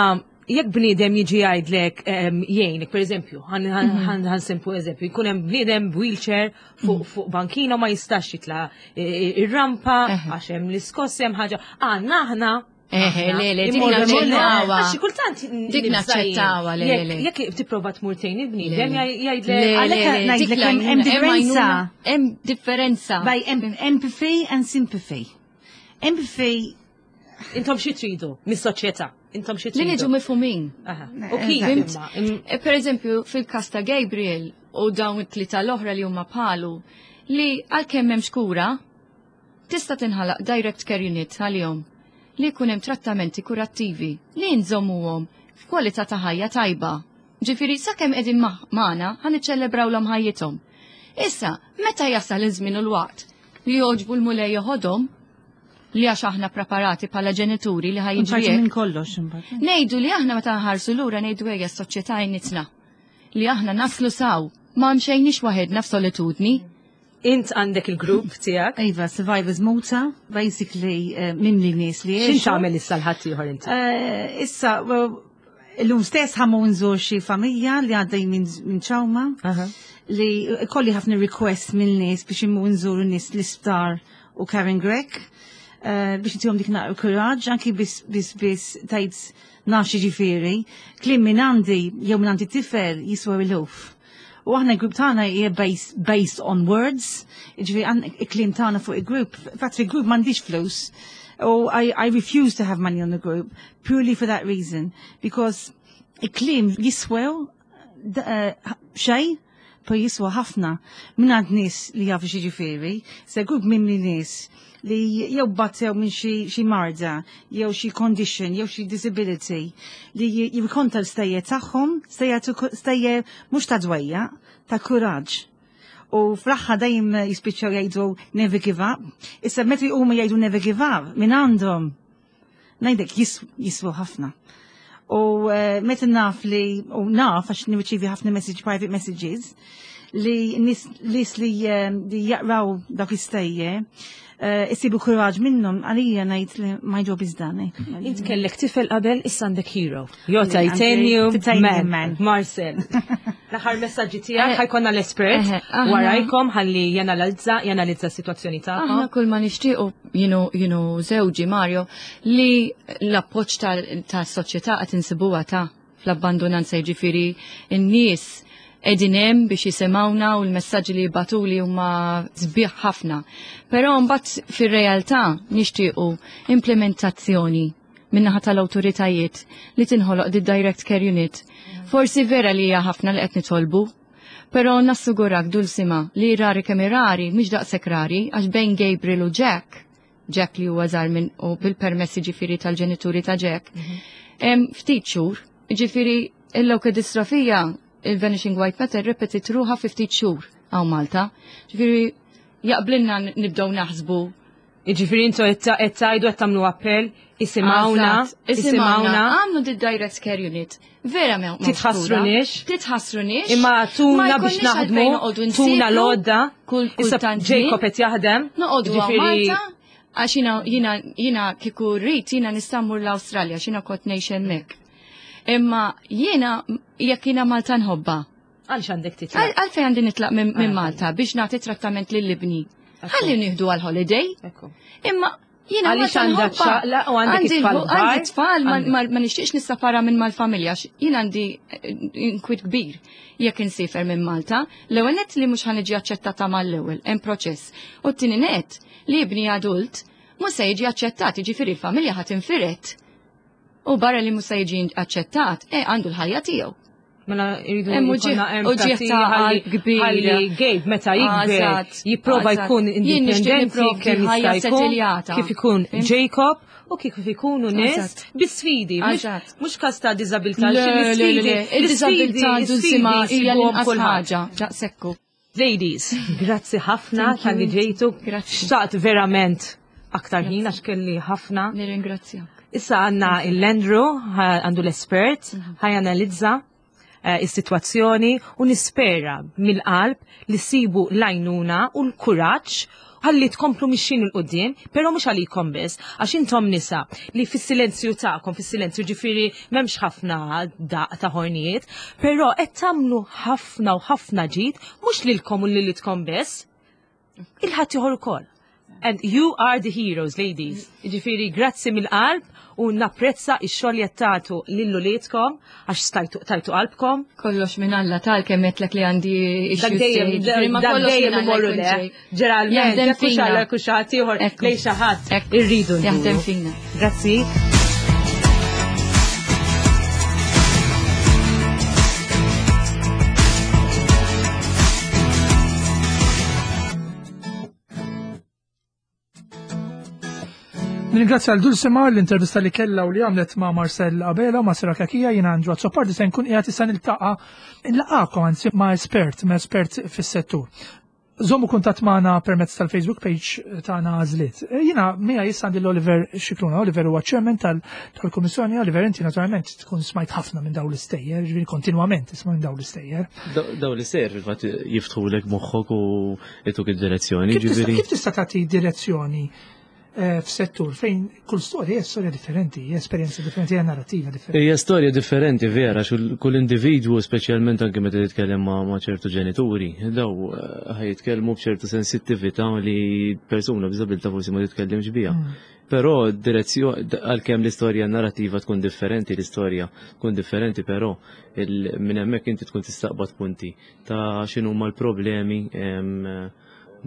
jekk bniedem jiġi jgħidlek jgħinek, per eżempju, ħan sempu eżempju, jkun hemm bniedem wheelchair fuq mhm. bankina ma jistax jitla ir-rampa għax hemm l-iskoss hemm ħaġa. Għandna aħna Eħe, le, le, dik naċċettawa. Għax kultant dik naċċettawa, le, le. Jekk tipprova tmur tgħin il-bniedem jgħidlek. Għalhekk ngħidlek hemm differenza. Hemm differenza. By empathy and sympathy. Empathy Intom xi tridu mis-soċjetà? Intom xi Li tridu? niġu mifhumin. Aha. U kif Fimt? imma? Per eżempju, fil-kas ta' Gabriel u dawn it-tlieta l-oħra li huma bħalu, li għalkemm hemmx kura, tista' tinħalaq direct care unit għalihom li jkun hemm trattamenti kurattivi li nżommuhom f'kwalità ta' ħajja tajba. Ġifieri sakemm qegħdin magħna ħa niċċelebrawlhom ħajjithom. Issa, meta jasal iż-żmien u l-waqt li jogħġbu l-Mulej joħodhom, li għax aħna preparati bħala ġenituri li ħa jiġri Parti hekk. minn kollox imbagħad. Ngħidu li aħna meta nħarsu lura ngħidu ejja s-soċjetà għinitna. Li aħna naslu saw, ma mxejniex waħedna f'solitudni. Int għandek il-grupp tiegħek. Iva, Survivors Malta, basically mimli nies li X'int jgħixu. tagħmel issa l-ħadd ieħor inti? Issa, well, illum stess ħa mmur nżur xi familja li għaddej minn trauma li kolli ħafna request minn nies biex immur nżuru nies l-isptar u Karen Grech biex intihom dik naqra kuraġġ, anki biss biss biss tgħid naf ġifieri, kliem minn għandi jew minn għandi tifel jiswa eluf. U aħna l-grupp tagħna hija based on words, ġifieri il-kliem tagħna fuq il-grupp, fatt il-grupp m'għandix flus. U I refuse to have money on the group purely for that reason, because il-kliem jiswew xejn, pero jiswa ħafna minn għand nies li jafu xi ġifieri, se grupp mimli nies li jew battew minn xi marda, jew xi condition, jew xi disability, li jirkonta l-stejjer tagħhom, stejjer mhux ta' dwejja, ta' kuraġġ. U fl-aħħar dejjem jispiċċaw jgħidu never give up. Issa meta huma jgħidu never give up, minn għandhom ngħidlek jiswu ħafna. U meta naf li, u naf għax nirċievi ħafna message, private messages, li nies li jaqraw dak l-istejjer, isibu kuraġġ minnhom, għalija ngħid li my job is done. Int kellek tifel qabel, issa għandek hero. Jo Għandi titanium titanium man. man. Marcel. L-aħħar messaġġi tiegħek ħa jkollna l-espert Aħna warajkom ħalli janalizza s-sitwazzjoni tagħkom. Aħna kull ma nixtiequ jienu żewġi Mario li l-appoġġ tas-soċjetà qed insibuha ta' fl-abbandonanza, jiġifieri n-nies qegħdin hemm biex jisimgħuna u l-messaġġi li jibagħtuli huma sbieħ ħafna. Però mbagħad fir-realtà nixtiequ implementazzjoni min-naħa tal-awtoritajiet li tinħoloq di Direct Care Unit. Forsi vera li hija ħafna li qed nitolbu, però nassigurak Dulcima li rari kemm rari, mhix daqshekk rari, għax bejn Gabriel u Jack, Jack li huwa żgħar minn u bil-permessi ġifieri tal-ġenituri ta' Jack, hemm ftit xhur, ġifieri il-leukodistrophia, il-Vanishing White Matter repetit ruħha fi ftit xhur hawn Malta. Ġifieri jaqblinna nibdew naħsbu. Jiġifieri intu qed tgħidu qed tagħmlu appell, isimgħuna, Eżatt, isimgħuna. Għamlu di Direct Care Unit. Vera ma Titħassrunix. Titħassrunix. Imma tuna Ma biex jkollniex naħdmu, għalfejn noqogħdu tuna nsifru l-għodda. kull Issa tant Jacob żmien. qed jaħdem. Noqogħdu hawn Jiġifieri Malta, għax jiena kieku rrid jiena nista' mmur l-Awstralja, x'jiena kont ngħix hemmhekk. Imma jiena jekk jiena Malta nħobbha. Għalx għandek titlaq? Għalfejn għandi nitlaq minn Malta biex nagħti trattament lil ibni. Ħalli nieħdu għal holiday. Imma jiena Għaliex Malta għandek nħobbha. xaqla u għandek Għandi it-tfal kbar? Għandi tfal, Għandek. ma nixtieqx nissapara minn mal-familja, għax jiena għandi inkwit kbir jekk insifer minn Malta. L-ewwel nett li mhux ħa niġi aċċettata mal-ewwel, hemm proċess. U t-tieni nett li ibni adult mhux se jiġi aċċettat, jiġifieri l-familja ħa tinfiret. U barra li mhux se jiġi aċċettat, għandu l-ħajja tiegħu. Mela jridu Hemm jkollna uġigħ empatija ta' ħalli qalb kbir. ħalli Gabe meta jikber jipprova jkun Jien nixtieq indipendenti nipprovdi kemm jista' ħajja jkun, settiljata. kif ikun Fhimt? Jacob u kif ikunu nies bi sfidi, mhux każ ta' diżabilità, Le, xi le, le, l-isfidi, le. Il-diżabilità l-isfidi Dulcima hija jsibuhom l-inqas kulħadd. ħaġa. Daqsekku. Ladies, grazzi ħafna Thank you. talli ġejtu. Grazzi. Xtaqt verament aktar ħin għax kelli ħafna. Nirringrazzjak. Issa għandna il-Landru, għandu l-espert, ħa janalizza is-sitwazzjoni u nispera mill-qalb li sibu l-għajnuna u l-kuraġġ ħalli tkomplu mixin 'il quddiem, pero mhux għalikom biss, għax intom nisa li fis-silenzju tagħkom, fis-silenzju ġifieri m'hemmx ħafna daq ta' ħornijiet, però qed tagħmlu ħafna u ħafna ġid mhux lilkom u lilitkom biss, il-ħadd ieħor ukoll. And you are the heroes, ladies. Ġifieri, grazzi mill-qalb U napprezza x-xogħol li qed tagħtu lil uliedkom għax stajtu tajtu qalbkom. Kollox minn Alla tal kemm għedtlek li għandi Dak dejjem dak dejjem imorru le. Ġeneralment jekk hux Alla jekk hux xi ħadd ieħor lejn xi ħadd irridu. Jaħdem fina. Grazzi. Nringrazzja l Dulce Mar l-intervista li kella u li għamlet ma' Marcel Abela u ma' Sira Kakija jiena Andrew Azzopardi se nkun qiegħed issa niltaqa' nlaqakom anzi ma' espert, ma' espert fis-settur. Żommu kuntatt magħna permezz tal-Facebook page tagħna Għażliet. Eh, jiena miegħi issa għandi l-Oliver Xikluna. Oliver huwa chairman tal-Kummissjoni. Oliver, inti naturalment tkun smajt ħafna minn dawn l-istejjer, ġifieri kontinwament tisma' minn dawn l-istejjer. Dawn l-istejjer fil-fatt jiftħulek moħħok u jtuk id-direzzjoni. Kif tista' tagħti direzzjoni eh, f'settur fejn kull storja hija storja differenti, hija esperjenza differenti, hija narrativa differenti. Hija storja differenti vera, kull individwu speċjalment anke meta titkellem ma' ċertu ġenituri, daw eh, ħaj jitkellmu b'ċertu sensittività li persuna b'diżabilità forsi ma titkellimx biha. Mm. Però direzzjoni għalkemm l-istorja narrativa tkun differenti, l-istorja tkun differenti, però minn hemmhekk inti tkun tistaqbad punti ta' x'inhuma l-problemi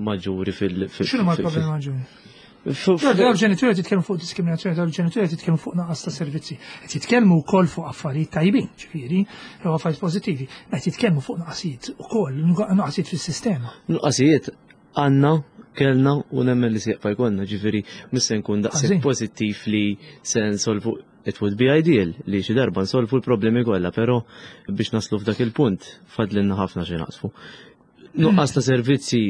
maġġuri fil- X'inhuma l-problemi maġġuri? Dawn ġenituri qed jitkellmu fuq diskriminazzjoni, dawn ġenituri qed jitkellmu fuq naqas ta' servizzi. Qed jitkellmu wkoll fuq affarijiet tajbin, ġifieri, jew affarijiet pożittivi, ma qed jitkellmu fuq naqasijiet ukoll, naqasijiet fis-sistema. Nuqqasijiet għandna kellna u nemmen li se jibqa' jkollna, ġifieri mhux se nkun daqshekk pożittiv li se nsolvu it would be ideal li xi darba nsolvu l-problemi kollha, però biex naslu f'dak il-punt fadlinna ħafna xi naqsfu. Nuqqas ta' servizzi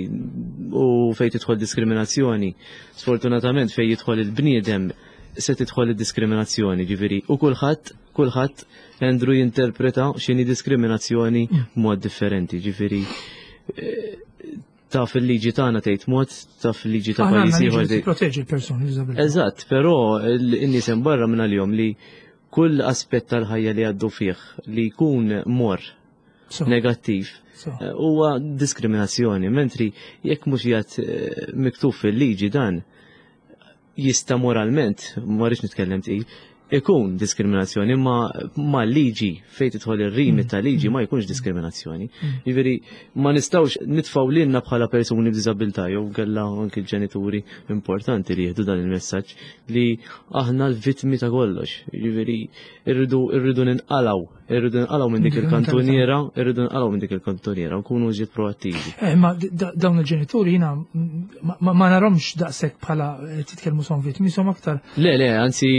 u fejn tidħol diskriminazzjoni, sfortunatament fejn jidħol il-bniedem se tidħol id-diskriminazzjoni, ġifieri u kulħadd kulħadd Andrew jinterpreta x'inhi diskriminazzjoni b'mod differenti, ġifieri eh, taf il-liġi tagħna tgħid mod, taf il-liġi ta' pajjiż ieħor. Proteġi l-persuni b'diżabilità. Eżatt, però n-nies hemm barra minn għalihom li kull aspett tal-ħajja li għaddu fih li jkun mor negattiv eh, huwa diskriminazzjoni, mentri jekk mhux jgħid eh, miktub fil-liġi dan jista' moralment, ma rridx nitkellem tqil, ikun diskriminazzjoni, imma ma liġi fejn tidħol ir-rimi mm. ta' liġi ma jkunx diskriminazzjoni. Mm. Jiġifieri ma nistgħux nitfgħu lilna bħala persuni b'diżabilità jew kellha anki l-ġenituri importanti li jieħdu dan il-messaġġ li aħna l-vittmi ta' kollox. Jiġifieri irridu irridu ninqalgħu Irridu nqalgħu minn dik il-kantuniera, irridu nqalgħu minn dik il-kantuniera, nkunu iżjed proattivi. Eh, ma dawn il-ġenituri jiena ma narhomx daqshekk bħala eh, titkellmu son vittmi, som aktar. Le, le, anzi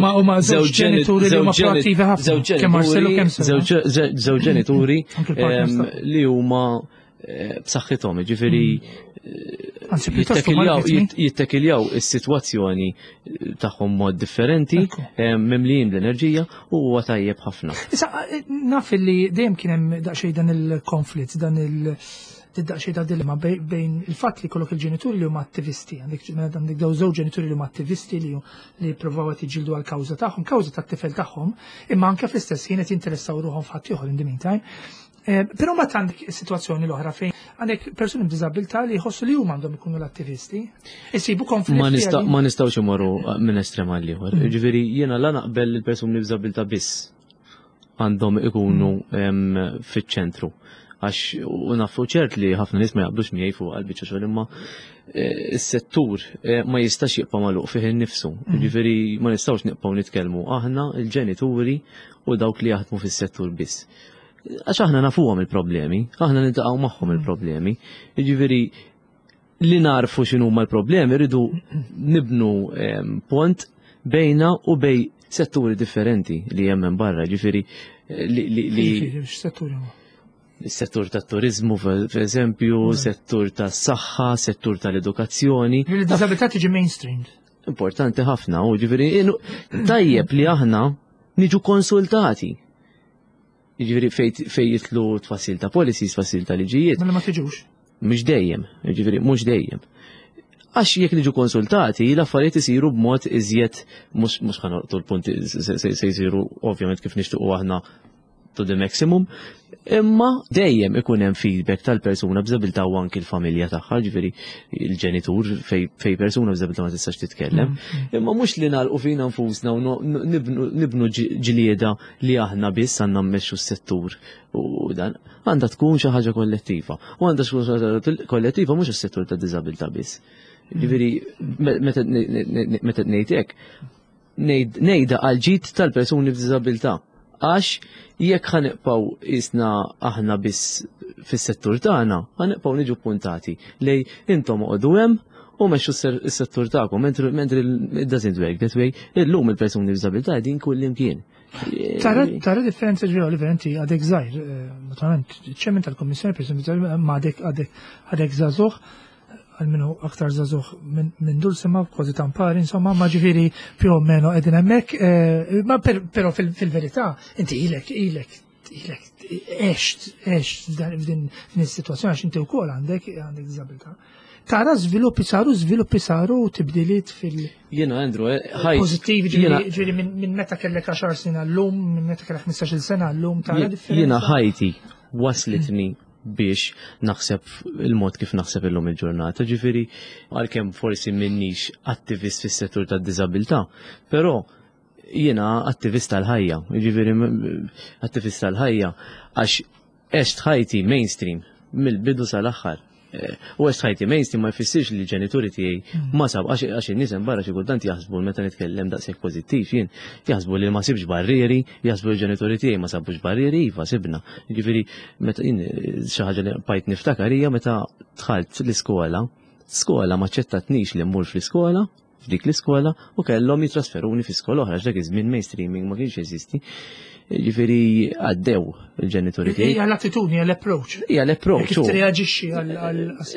huma żewġ ġenituri li huma proattivi ħafna. Kemm Marcello kemm Żewġ ġenituri ehm, li huma eh, b'saħħithom, ġifieri mm. eh, jittekiljaw is-sitwazzjoni eh, tagħhom mod differenti, mimlijin bl-enerġija u huwa tajjeb ħafna. Issa naf li dejjem kien hemm daqsxejn dan il-konflitt, dan il- daqsxejn ta' dilemma bejn il-fatt li kollok il-ġenituri li huma attivisti, għandek għandek daw żewġ ġenituri li huma attivisti li li jippruvaw qed jiġġieldu għall-kawża tagħhom, kawża tat-tifel tagħhom, imma anke fl-istess ħin qed jinteressaw ruħhom f'ħadd ieħor in the meantime. Eh, però ma għandek is-sitwazzjoni l-oħra fejn għandek persuni b'diżabilità li jħossu li huma għandhom ikunu l-attivisti. Isibu konflitt. Ma nistgħux imorru eh, minn estrem għal ieħor. Mm. Ġifieri jiena la naqbel il-persuni b'diżabilità biss għandhom ikunu mm. fiċ-ċentru. Għax u nafu ċert li ħafna nies ma jaqblux miegħi fuq għal-biċċa xogħol imma eh, s-settur ma jistax jibqa' magħluq fih innifsu. Mm. Ġifieri ma nistgħux nibqgħu nitkellmu aħna il-ġenituri u dawk li jaħdmu fis-settur biss. Għax aħna nafuhom il-problemi, aħna niltaqgħu magħhom il-problemi. Jiġifieri li narfu x'inhuma l-problemi rridu nibnu ehm, pont bejna u bej setturi differenti li hemm barra, ġifieri eh, li setturi huma? Settur tat turizmu per eżempju, mm. settur tas saħħa, settur tal-edukazzjoni. Il-disabilità tiġi mainstreamed. Importanti ħafna, u ġifieri tajjeb li aħna niġu konsultati. Jiġifieri fej jitlu tfassil ta' policies, tfassil ta' liġijiet. Mela ma tiġux. Mhux dejjem, jiġifieri mhux dejjem. Għax jekk niġu konsultati, l-affarijiet isiru b'mod iżjed mhux mhux ħanoqtu l-punti se jsiru ovvjament kif nixtiequ aħna to the maximum, imma dejjem ikun hemm feedback tal-persuna b'diżabilità u anki l-familja tagħha, ġifieri il-ġenitur fej persuna b'diżabilità ma tistax titkellem. Imma mhux li nagħlqu fina nfusna u nibnu ġlieda li aħna biss għandna mmexxu s-settur u dan għandha tkun xi ħaġa kollettiva. U għandha tkun xi ħaġa kollettiva mhux is-settur ta' diżabilità biss. Ġifieri meta ngħid hekk, ngħidha għal ġid tal-persuni b'diżabilità. Għax jekk ħanibqgħu isna aħna biss fis-settur tagħna, ħanibqgħu niġu puntati lej intom oqogħdu hemm u mexxu s-settur tagħkom, mentri it doesn't work that way, illum il-persuni b'diżabilità qegħdin kull imkien. Tara differenza ġew li inti għadek żgħir, eh, naturalment, ċemmen tal-Kommissjoni persuni b'diżabilità ma għadek għadek żagħżugħ, għalmenu aktar żagħżugħ minn Dulcima, kważi tampari, insomma, ma ġifieri più o meno qegħdin hemmhekk, eh, ma però fil-verità inti ilek ilek ilek għext għext f'din is-sitwazzjoni għax inti wkoll għandek għandek diżabilità. Tara żviluppi saru, żviluppi saru tibdiliet fil- Jiena Andrew, eh, ħaj. Pożittivi ġifieri minn meta kellek 10 snin għallum, minn meta kellek 15-il sena għallum, tara differenza. Jiena ħajti waslitni biex naħseb il-mod kif naħseb illum il-ġurnata. Ġifieri għalkemm forsi minnix attivist fis-settur tad-diżabilità, però jiena attivist tal-ħajja, ġifieri attivist tal-ħajja għax għext ħajti mainstream mill-bidu sal-aħħar. Eh, u għext ħajti mainstream ma jfissirx li l-ġenituri tiegħi mm. ma sab għax in-nies hemm barra xi kultant jaħsbu meta nitkellem daqshekk pożittiv jien jaħsbu li ma sibx barrieri, jaħsbu l-ġenituri tiegħi ma sabux barrieri, iva sibna. Jiġifieri meta jien eh, xi ħaġa li bajt niftakar hija meta dħalt l-iskola, skola ma ċettatnix li mmur fl-iskola, f'dik l-iskola u kellhom jitrasferuni fi skola oħra dak iż-żmien mainstreaming ma kienx jeżisti. Ġifieri għaddew il-ġenituri tiegħi. Hija l-attitudni, l-approach. Hija l-approach. Kif treaġixxi għal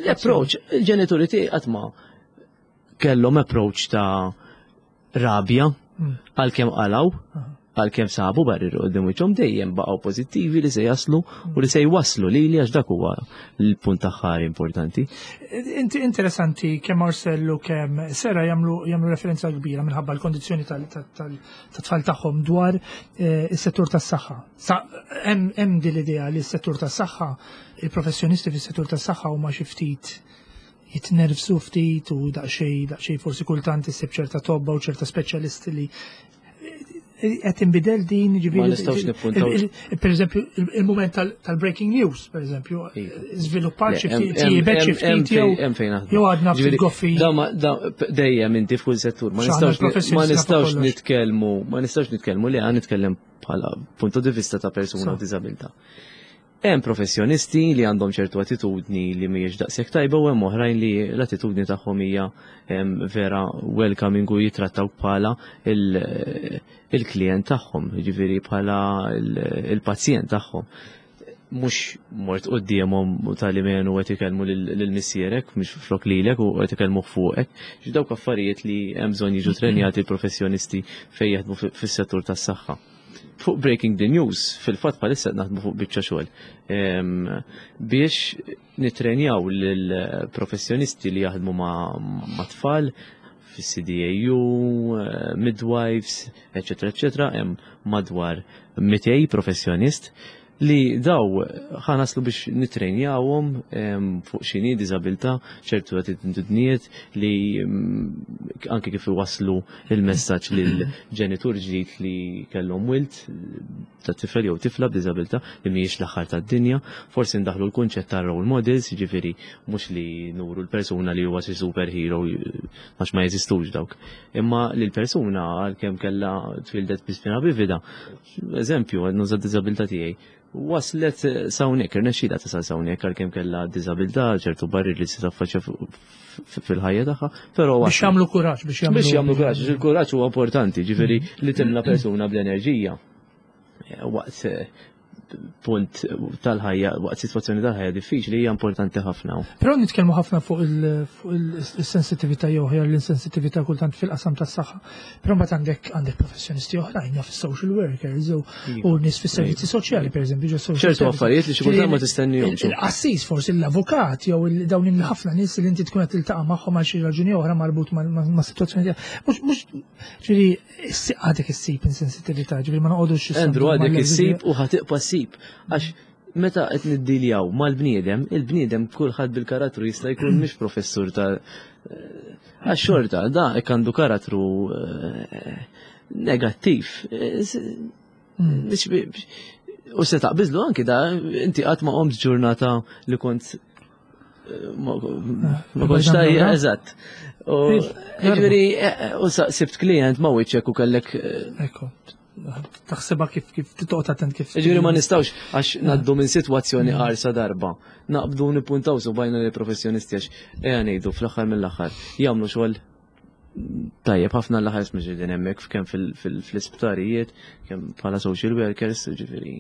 l-approach. Il-ġenituri tiegħi qatt ma kellhom approach ta' rabja hmm. għalkemm qalaw għalkemm sabu barri qudiem wiċċhom dejjem baqgħu pożittivi li se jaslu u li se jwasslu lili għax dak huwa l-punt aħħar importanti. Inti interessanti kemm Marcellu kemm Sera jagħmlu jagħmlu referenza kbira minħabba l-kondizzjoni tat-tfal tagħhom dwar eh, is-settur tas-saħħa. Hemm din l-idea li s-settur tas-saħħa, il-professjonisti fis-settur tas-saħħa huma xi ftit jitnervsu ftit u daqsxejn daqsxejn forsi kultant issib ċerta tobba u ċerta speċjalisti li qed inbidel din ġifieri. Ma nistgħux nippuntaw. Per eżempju, il-mument tal-breaking news, per eżempju, żviluppat xi ftit, tjiebet xi ftit jew għadna ftit goffi. Dejjem inti f'kull settur, ma nistgħux nitkellmu, ma nistgħux nitkellmu li għan nitkellem bħala punto di vista ta' persuna b'diżabilità. Hemm professjonisti li għandhom ċertu attitudni li mhijiex daqshekk tajba u hemm oħrajn li l-attitudni tagħhom hija vera welcoming u jitrattaw bħala il-klient tagħhom, jiġifieri bħala il-pazjent tagħhom. Mhux mort quddiemhom u tali menu qed ikellmu lil missierek, mhux flok lilek u qed ikellmuh fuqek. Dawk affarijiet li hemm bżonn jiġu trenjati l-professjonisti fejn jaħdmu fis-settur tas-saħħa. Fuq Breaking the News, fil-fatt bħalissa naħdmu fuq biċċa xogħol biex nitrenjaw lill-professjonisti li jaħdmu ma' tfal fis-CDAU, eh, midwives, eċetera, eċetera, hemm madwar 200 professjonist li daw ħanaslu biex nitrenjawhom fuq xini diżabilità, ċertu attitudnijiet li anke kif iwasslu il-messaġġ lil ġenitur ġdid li kellhom wild ta' tifel jew tifla b'diżabilità li mhijiex l-aħħar tad-dinja, forsi ndaħlu l-kunċett ta' role models, jiġifieri mhux li nuru l-persuna li huwa xi superhero għax ma jeżistux dawk. Imma li l-persuna għalkemm kellha twildet bi spina bifida, eżempju, nuża d-diżabilità tiegħi, waslet sawnek, irnexxila tasal sawnek għalkemm kellha diżabilità, ċertu barri li se taffaċċja fil-ħajja tagħha, però biex jagħmlu kuraġġ, biex jagħmlu biex jagħmlu kuraġġ, il-kuraġġ huwa importanti, ġifieri li timla persuna bl-enerġija. Eh, waqt eh, punt tal-ħajja, waqt sitwazzjoni tal-ħajja diffiċli hija importanti ħafna. Però nitkellmu ħafna fuq il-sensitività jew ħjar l-insensitività kultant fil-qasam tas-saħħa. Però mbagħad għandek għandek professjonisti oħrajn jaf social workers u iva. nies fis-servizzi iva. soċjali pereżempju ġo social. Ċertu affarijiet li xi kultant ma tistennihomx. Il-qassis forsi l-avukat jew dawn il-ħafna nies li inti tkun qed tiltaqa' magħhom għal xi raġuni oħra marbut ma' sitwazzjoni tiegħek. Mhux ġifieri għadek issib insensitività, ġifieri ma noqogħdux. Andrew għadek issib u ħatiqpa ssib għax meta qed niddiljaw mal-bniedem, il-bniedem kulħadd bil-karattru jista' jkun mhix professur ta' għax xorta da hekk għandu karattru eh, negattiv. Eh, hmm. U se taqbiżlu anki da inti qatt ma qomt ġurnata li kont ma kontx tajja, eżatt. U ġifieri u sibt klient ma wiċċek u kellek. Eh, Ekku. Taħsebha kif kif titoqgħod attent kif. Ġifieri ma nistgħux għax ngħaddu minn sitwazzjoni qarsa darba. Naqbdu nippuntaw subajna li professjonisti għax ejja ngħidu fl-aħħar mill-aħħar jagħmlu xogħol tajjeb ħafna l-aħħar mhux din hemmhekk kemm fl-isptarijiet, kemm bħala social workers, ġifieri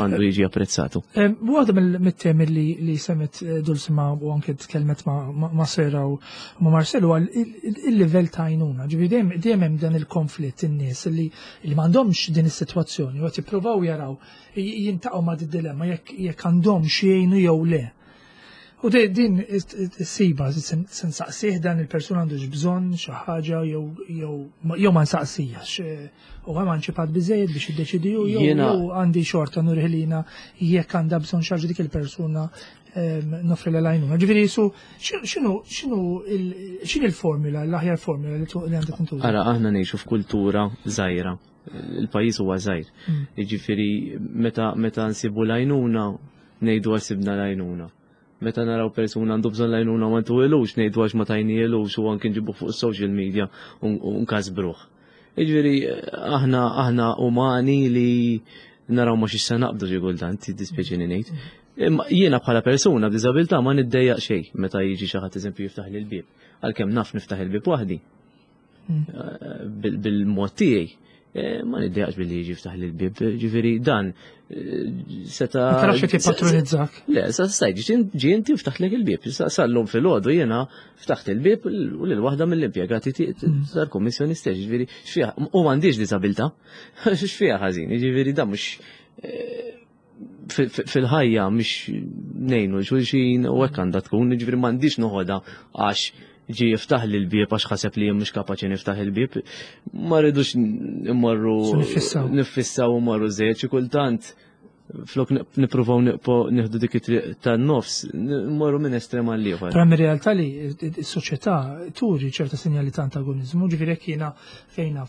għandu jiġi apprezzatu. Waħda mit-temi li semmet eh, Dulsima u anke tkellmet ma' Sera u ma' Marcelo għal il-livell ta' għajnuna. Ġifieri dejjem hemm dan il-konflitt in-nies li m'għandhomx din is-sitwazzjoni u qed jippruvaw jaraw jintaqgħu ma' dilemma jekk għandhomx jgħinu jew le. U din is-siba se nsaqsih dan il-persuna għandux bżonn xi ħaġa jew ma nsaqsijax. U emanċipat biżejjed biex jiddeċidi jew għandi xorta nurih li jiena jekk għandha bżonn xi ħaġa dik il-persuna nofri l għajnuna. Ġifieri jisu x'inhu x'inhu x'inhi l-formula, l-aħjar formula li għandha tintuża? Ara aħna ngħixu f'kultura żgħira. Il-pajjiż huwa żgħir. Mm. Jiġifieri meta meta nsibu l-għajnuna ngħidu għax sibna l-għajnuna. Meta naraw persuna għandu bżonn l-għajnuna ma ntuhilux, ngħidu għax ma tajnielux u anki nġibuh fuq is-social media u nkasbruh. Jiġifieri aħna aħna umani li naraw ma xi se naqbdu xi kultant, jiddispjaċini ngħid. Imma jiena bħala persuna b'diżabilità ma niddejjaq xejn meta jiġi xi ħadd eżempju jiftaħ li l-bieb. Għalkemm naf niftaħ il-bieb waħdi. Eh, bil-mod tiegħi. Eh, ma niddejaqx billi jiġi ftaħ l-bib, ġifiri dan eh, seta. Ma tarax qed jippatronizzak. Le, sa stajt ġi inti ftaħtlek il-bib. Sallum fil-ħodu jiena ftaħt il-bib u lil waħda mill-impjegati mm. tal-kummissjoni stess, ġifieri x'fiha u m'għandix diżabilità. X'fiha ħażin, ġifieri dan mhux fil-ħajja mhix ngħinu xulxin u hekk għandha tkun, jiġifieri m'għandix noħodha għax ġi jiftaħ li l-bieb għax ħaseb li jien mhux kapaċi niftaħ il-bieb. Ma rridux immorru nifissaw u mmorru żejjed xi kultant flok nippruvaw nieħdu dik it-triq tan-nofs, mmorru minn estrem għal ieħor. Però mir-realtà li s-soċjetà turi ċerta sinjali ta' antagonizmu, ġifieri jekk jiena fejna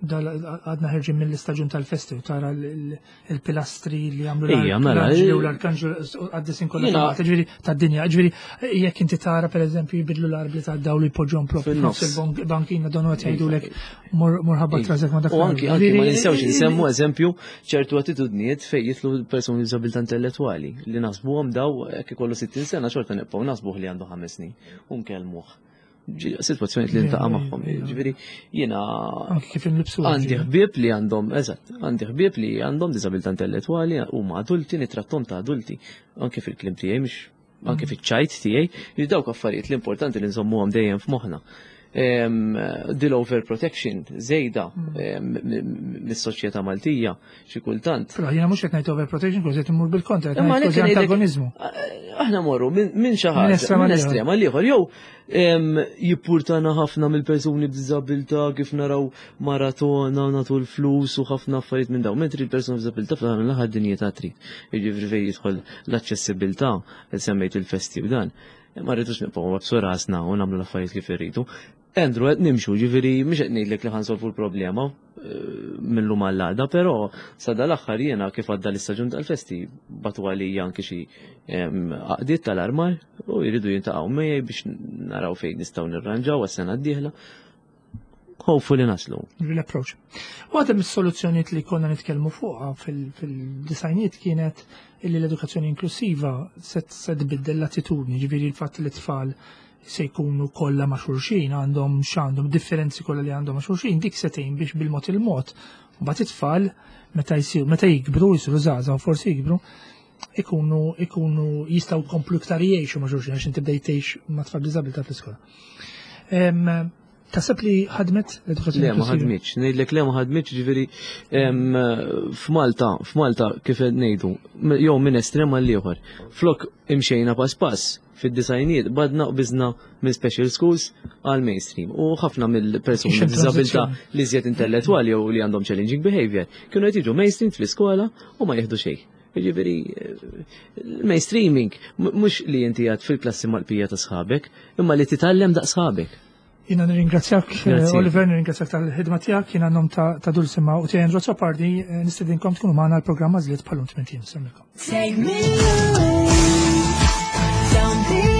għadna ħerġin mill-istaġun tal-festi u tara il-pilastri li għamlu mela, l-arkanġli u l-arkanġlu għaddisin kollha ġifieri tad-dinja. Ġifieri jekk inti tara pereżempju jbidlu l-arbli tad-dawl jpoġġhom propju f'nofs il-bankina donu qed jgħidulek murħabba trażek ma dak. U anki anki ma ninsewx insemmu eżempju ċertu attitudnijiet fejn jitlu persuni b'diżabilità intellettwali li naħsbuhom daw jekk ikollu 60 sena xorta nibqgħu naħsbuh li għandu ħames snin u nkellmuh situazzjoni li ntaqa' magħhom. Ġifieri jiena kif inlibsu għandi ħbieb li għandhom, eżatt, għandi ħbieb li għandhom diżabilità intellettwali huma adulti nitrattom ta' adulti anke fil-kliem tiegħi mhux anke fiċ-ċajt tiegħi, li dawk affarijiet l-importanti li nżommuhom dejjem f'moħħna. Dil overprotection żejda mm. mis-soċjetà Maltija xi kultant. Però jiena mhux qed ngħid overprotection kważi qed immur bil-kontra, qed ngħid kważi antagonizmu. Aħna morru minn xi ħaġa minn estrema l ieħor jew jippurtana ħafna mill-persuni b'diżabilità kif naraw maratona nagħtu l-flus u ħafna affarijiet minn dawn. Mentri l-persuni b'diżabilità fl-aħħar mill-aħħar dinjità trid. Jiġifieri fejn jidħol l-aċċessibilità, semmejt il-festi u dan. Ma rridux nibqgħu wabsu rasna u nagħmlu l-affarijiet kif irridu. Andrew, qed nimxu, ġifieri mhux qed ngħidlek li ħansolvu l-problema eh, mill-lum għall-għada, però sa dal-aħħar jiena kif għadda l-istaġun tal-festi batu għalija anki xi għaqdiet tal-armar u jridu jintaqgħu miegħi biex naraw fejn nistgħu nirranġaw għas-sena d-dieħla. Hopefully naslu. L-approach. Waħda mis-soluzzjonijiet li konna nitkellmu fuqha fil-disajniet kienet illi l-edukazzjoni inklusiva se tbiddel l-attitudni, ġifieri l-fatt li tfal se jkunu kollha ma' xulxin, għandhom x'għandhom differenzi kollha li għandhom ma' xulxin, dik se tgħin biex bil-mod il-mod mbagħad it-tfal meta jsir meta jikbru jsiru żgħażagħ forsi jikbru ikunu ikunu jistgħu jkomplu iktar jgħixu ma' xulxin għax inti bdejt tgħix ma' tfal b'diżabilità fl-iskola. Taħseb li ħadmet l-edukazzjoni? Le, ma ħadmitx. Ngħidlek le ma ħadmitx, ġifieri f'Malta, f'Malta kif qed ngħidu, jew minn estrem għal ieħor. Flok imxejna pass pass fid-disajnijiet badna u biżna minn special schools għal mainstream u ħafna mill-persuni b'diżabilità li żjed intellettwali jew li għandhom challenging behavior kienu qed jiġu mainstream fl-iskola u ma jieħdu xejn. Jiġifieri mainstreaming mhux li inti għad fil-klassi mal-pija ta' sħabek, imma li titgħallem daqs sħabek. Jina nirringrazzjak, eh, Oliver, nirringrazzjak tal-ħidma tiegħek, jiena nom ta' Dulcima u tiegħi Andrew Azzopardi, eh, nistedinkom tkunu magħna l-programm Għażliet bħalum tmien Take me away, down the